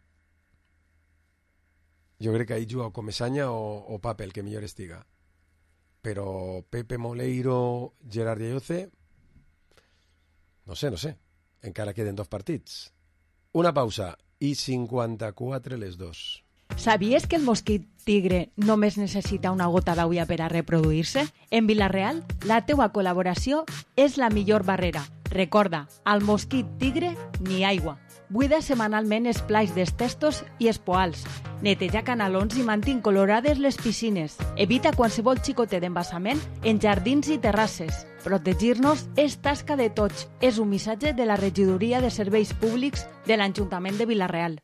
Jo crec que ahí juga o Comesaña o Pape, el que millor estiga. Però Pepe, Moleiro, Gerard i Ayoce... No sé. Encara queden 2 partits. Una pausa i 54 les 2. Sabies que el mosquit tigre només necessita una gota d'aigua per a reproduir-se? En Vila-real, la teua col·laboració és la millor barrera. Recorda, al mosquit tigre ni aigua. Buida setmanalment els plats dels testos i els poals. Neteja canalons i mantén colorades les piscines. Evita qualsevol xicotet d'embassament en jardins i terrasses. Protegir-nos és tasca de tots. És un missatge de la Regidoria de Serveis Públics de l'Ajuntament de Vila-real.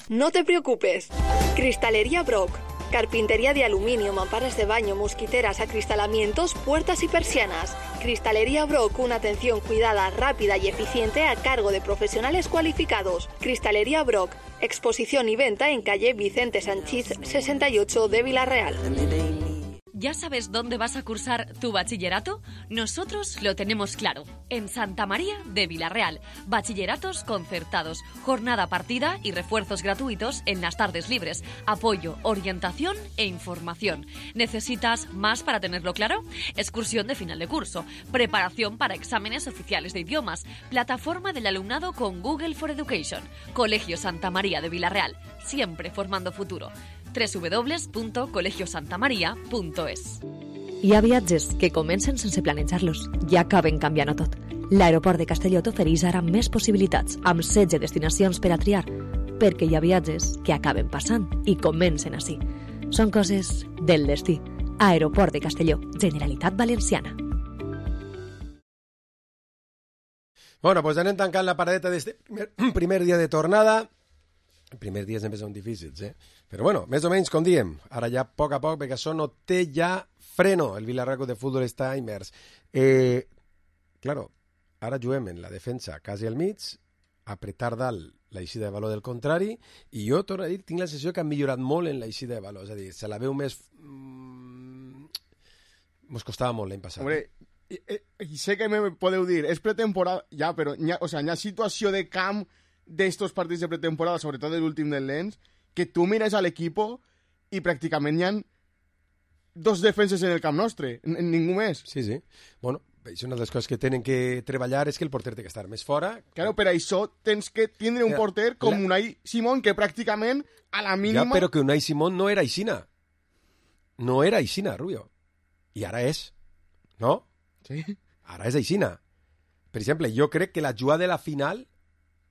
No te preocupes. Cristalería Brock. Carpintería de aluminio, mamparas de baño, mosquiteras, acristalamientos, puertas y persianas. Cristalería Brock, una atención cuidada, rápida y eficiente a cargo de profesionales cualificados. Cristalería Brock, exposición y venta en calle Vicente Sanchís 68 de Vila-real. ¿Ya sabes dónde vas a cursar tu bachillerato? Nosotros lo tenemos claro. En Santa María de Vila-real. Bachilleratos concertados, jornada partida y refuerzos gratuitos en las tardes libres. Apoyo, orientación e información. ¿Necesitas más para tenerlo claro? Excursión de final de curso. Preparación para exámenes oficiales de idiomas. Plataforma del alumnado con Google for Education. Colegio Santa María de Vila-real. Siempre formando futuro. www.colegiosantamaria.es. Hi ha viatges que comencen sense planejar-los i acaben canviant-ho tot. L'aeroport de Castelló t'ofereix ara més possibilitats, amb 16 destinacions per a triar, perquè hi ha viatges que acaben passant i comencen així. Són coses del destí. Aeroport de Castelló, Generalitat Valenciana. Bueno, pues anem tancant la paradeta d'este primer dia de tornada. Els primers dies sempre són difícils, Però bueno, més o menys, com diem, ara ja a poc, perquè això no té ja freno. El Vila-real de futbol està immers. Claro, ara juguem en la defensa quasi al mig, apretar dalt l'eixida de valor del contrari, i jo, torno a dir, tinc la sensació que han millorat molt en l'eixida de valor. És a dir, se la veu més... Mos costava molt l'any passat. Hombre, sé que me podeu dir, és pretemporada, ja, però hi ha situació de camp d'estos partits de pretemporada, sobretot l'últim del Lens, que tu mires a l'equipo i pràcticament hi ha 2 defenses en el camp nostre, ningú més. Sí. Bueno, és una de les coses que tenen que treballar és que el porter té que estar més fora. Claro, per això tens que tindre un porter com Unai Simón, que pràcticament a la mínima... Ja, però que Unai Simón no era aixina. No era aixina, Rubio. I ara és. No? Sí. Ara és aixina. Per exemple, jo crec que la jugada de la final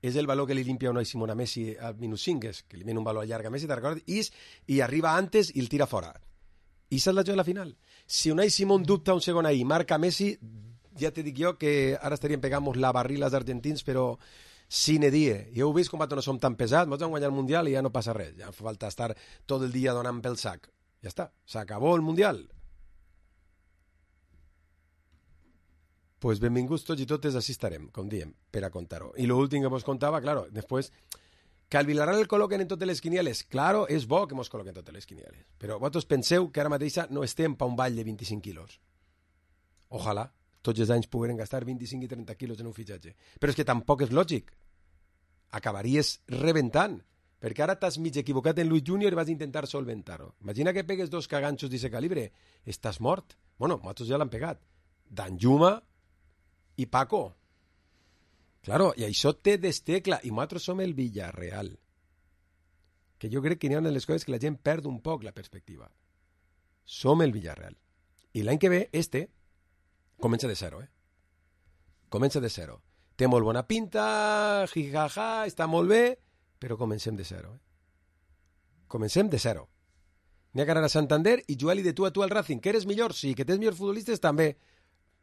és el valor que li limpia Unai Simón a Messi al minut 5, és que li viene un valor llarg a Messi, te'n recordes? I arriba antes i el tira fora. I esa és la jugada de la final. Si Unai Simón dubta un segon ahí i marca Messi, ja te dic jo que ara estaríem pegant la barrila als argentins, però sine die. Ja heu vist com no som tan pesats, ens han guanyat el Mundial i ja no passa res. Ja fa falta estar tot el dia donant pel sac. Ja està, s'acabó el Mundial. Pues benvinguts tots i totes, així estarem, com diem, per a contar-ho. I l'últim que vos contava, claro, després Que al Villarreal el col·loquen en totes les quinieles. Claro, és bo que mos col·loquen totes les quinieles. Però vosaltres penseu que ara mateixa no estem pa un ball de 25 quilos. Ojalà tots els anys pogueren gastar 25 i 30 quilos en un fitxatge. Però és que tampoc és lògic. Acabaries rebentant. Perquè ara t'has mig equivocat en Luis Junior i vas intentar solventar-ho. Imagina que pegues 2 caganxos d'aquest calibre. Estàs mort. Bueno, nosaltres ja l'han pegat. Danjuma i Paco. Claro, i això té destecla, i nosaltres som el Villarreal. Que jo crec que n'hi ha les coses que la gent perd un poc la perspectiva. Som el Villarreal. I l'any que ve, comença de zero, Comença de zero. Té molt bona pinta, jijaja, està molt bé, però comencem de zero, Comencem de zero. N'hi ha que anar a Santander i jugar-li de tu a tu al Racing. Que eres millor? Sí. Que tens millors futbolistes? També.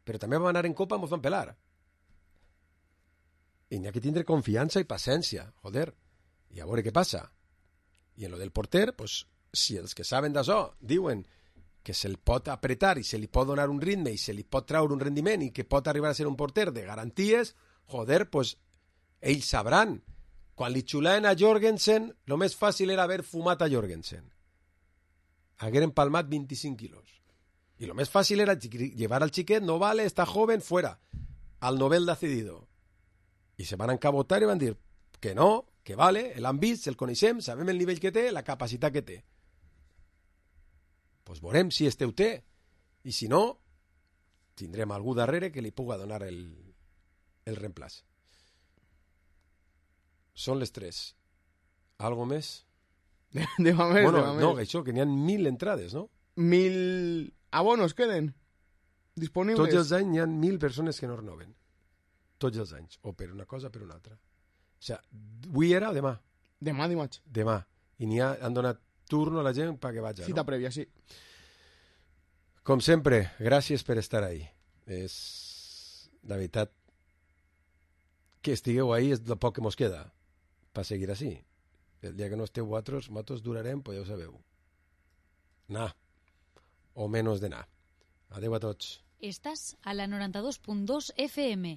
Però també vam anar en Copa, mos van pelar. I n'hi ha que tindre confiança i paciència, joder, i a veure què passa. I en lo del porter, pues, si els que saben d'això diuen que se'l pot apretar i se li pot donar un ritme i se li pot traure un rendiment i que pot arribar a ser un porter de garanties, joder, pues, ells sabran. Quan li xulaven a Jorgensen, lo més fàcil era haver fumat a Jorgensen. Hagueren palmat 25 quilos. I lo més fàcil era llevar al xiquet, no vale, està joven, fuera. Al Nobel de cedido. I se van encabotar i van dir que no, que vale, l'han vist, el coneixem, sabem el nivell que té, la capacitat que té. Pues veurem si este ho té. I si no, tindrem algú darrere que li puga donar el reemplaç. Són les 3. Algo més? Demà més, bueno, demà no, més. això, que n'hi ha 1.000 entrades, no? 1.000 abonos queden disponibles. Tots els anys n'hi ha 1.000 persones que no renoven. Tots els anys, o per una cosa o per una altra. O sigui, avui era o demà? Demà, dimarts. Demà. I han donat turno a la gent perquè vaja, Cita no? prèvia, sí. Com sempre, gràcies per estar ahí. És, la veritat, que estigueu ahí és el poc que mos queda per seguir així. El dia que no esteu vosaltres, nosaltres durarem, pues ja ho sabeu. Anar. O menys d'anar. Adeu a tots. Estàs a la 92.2 FM.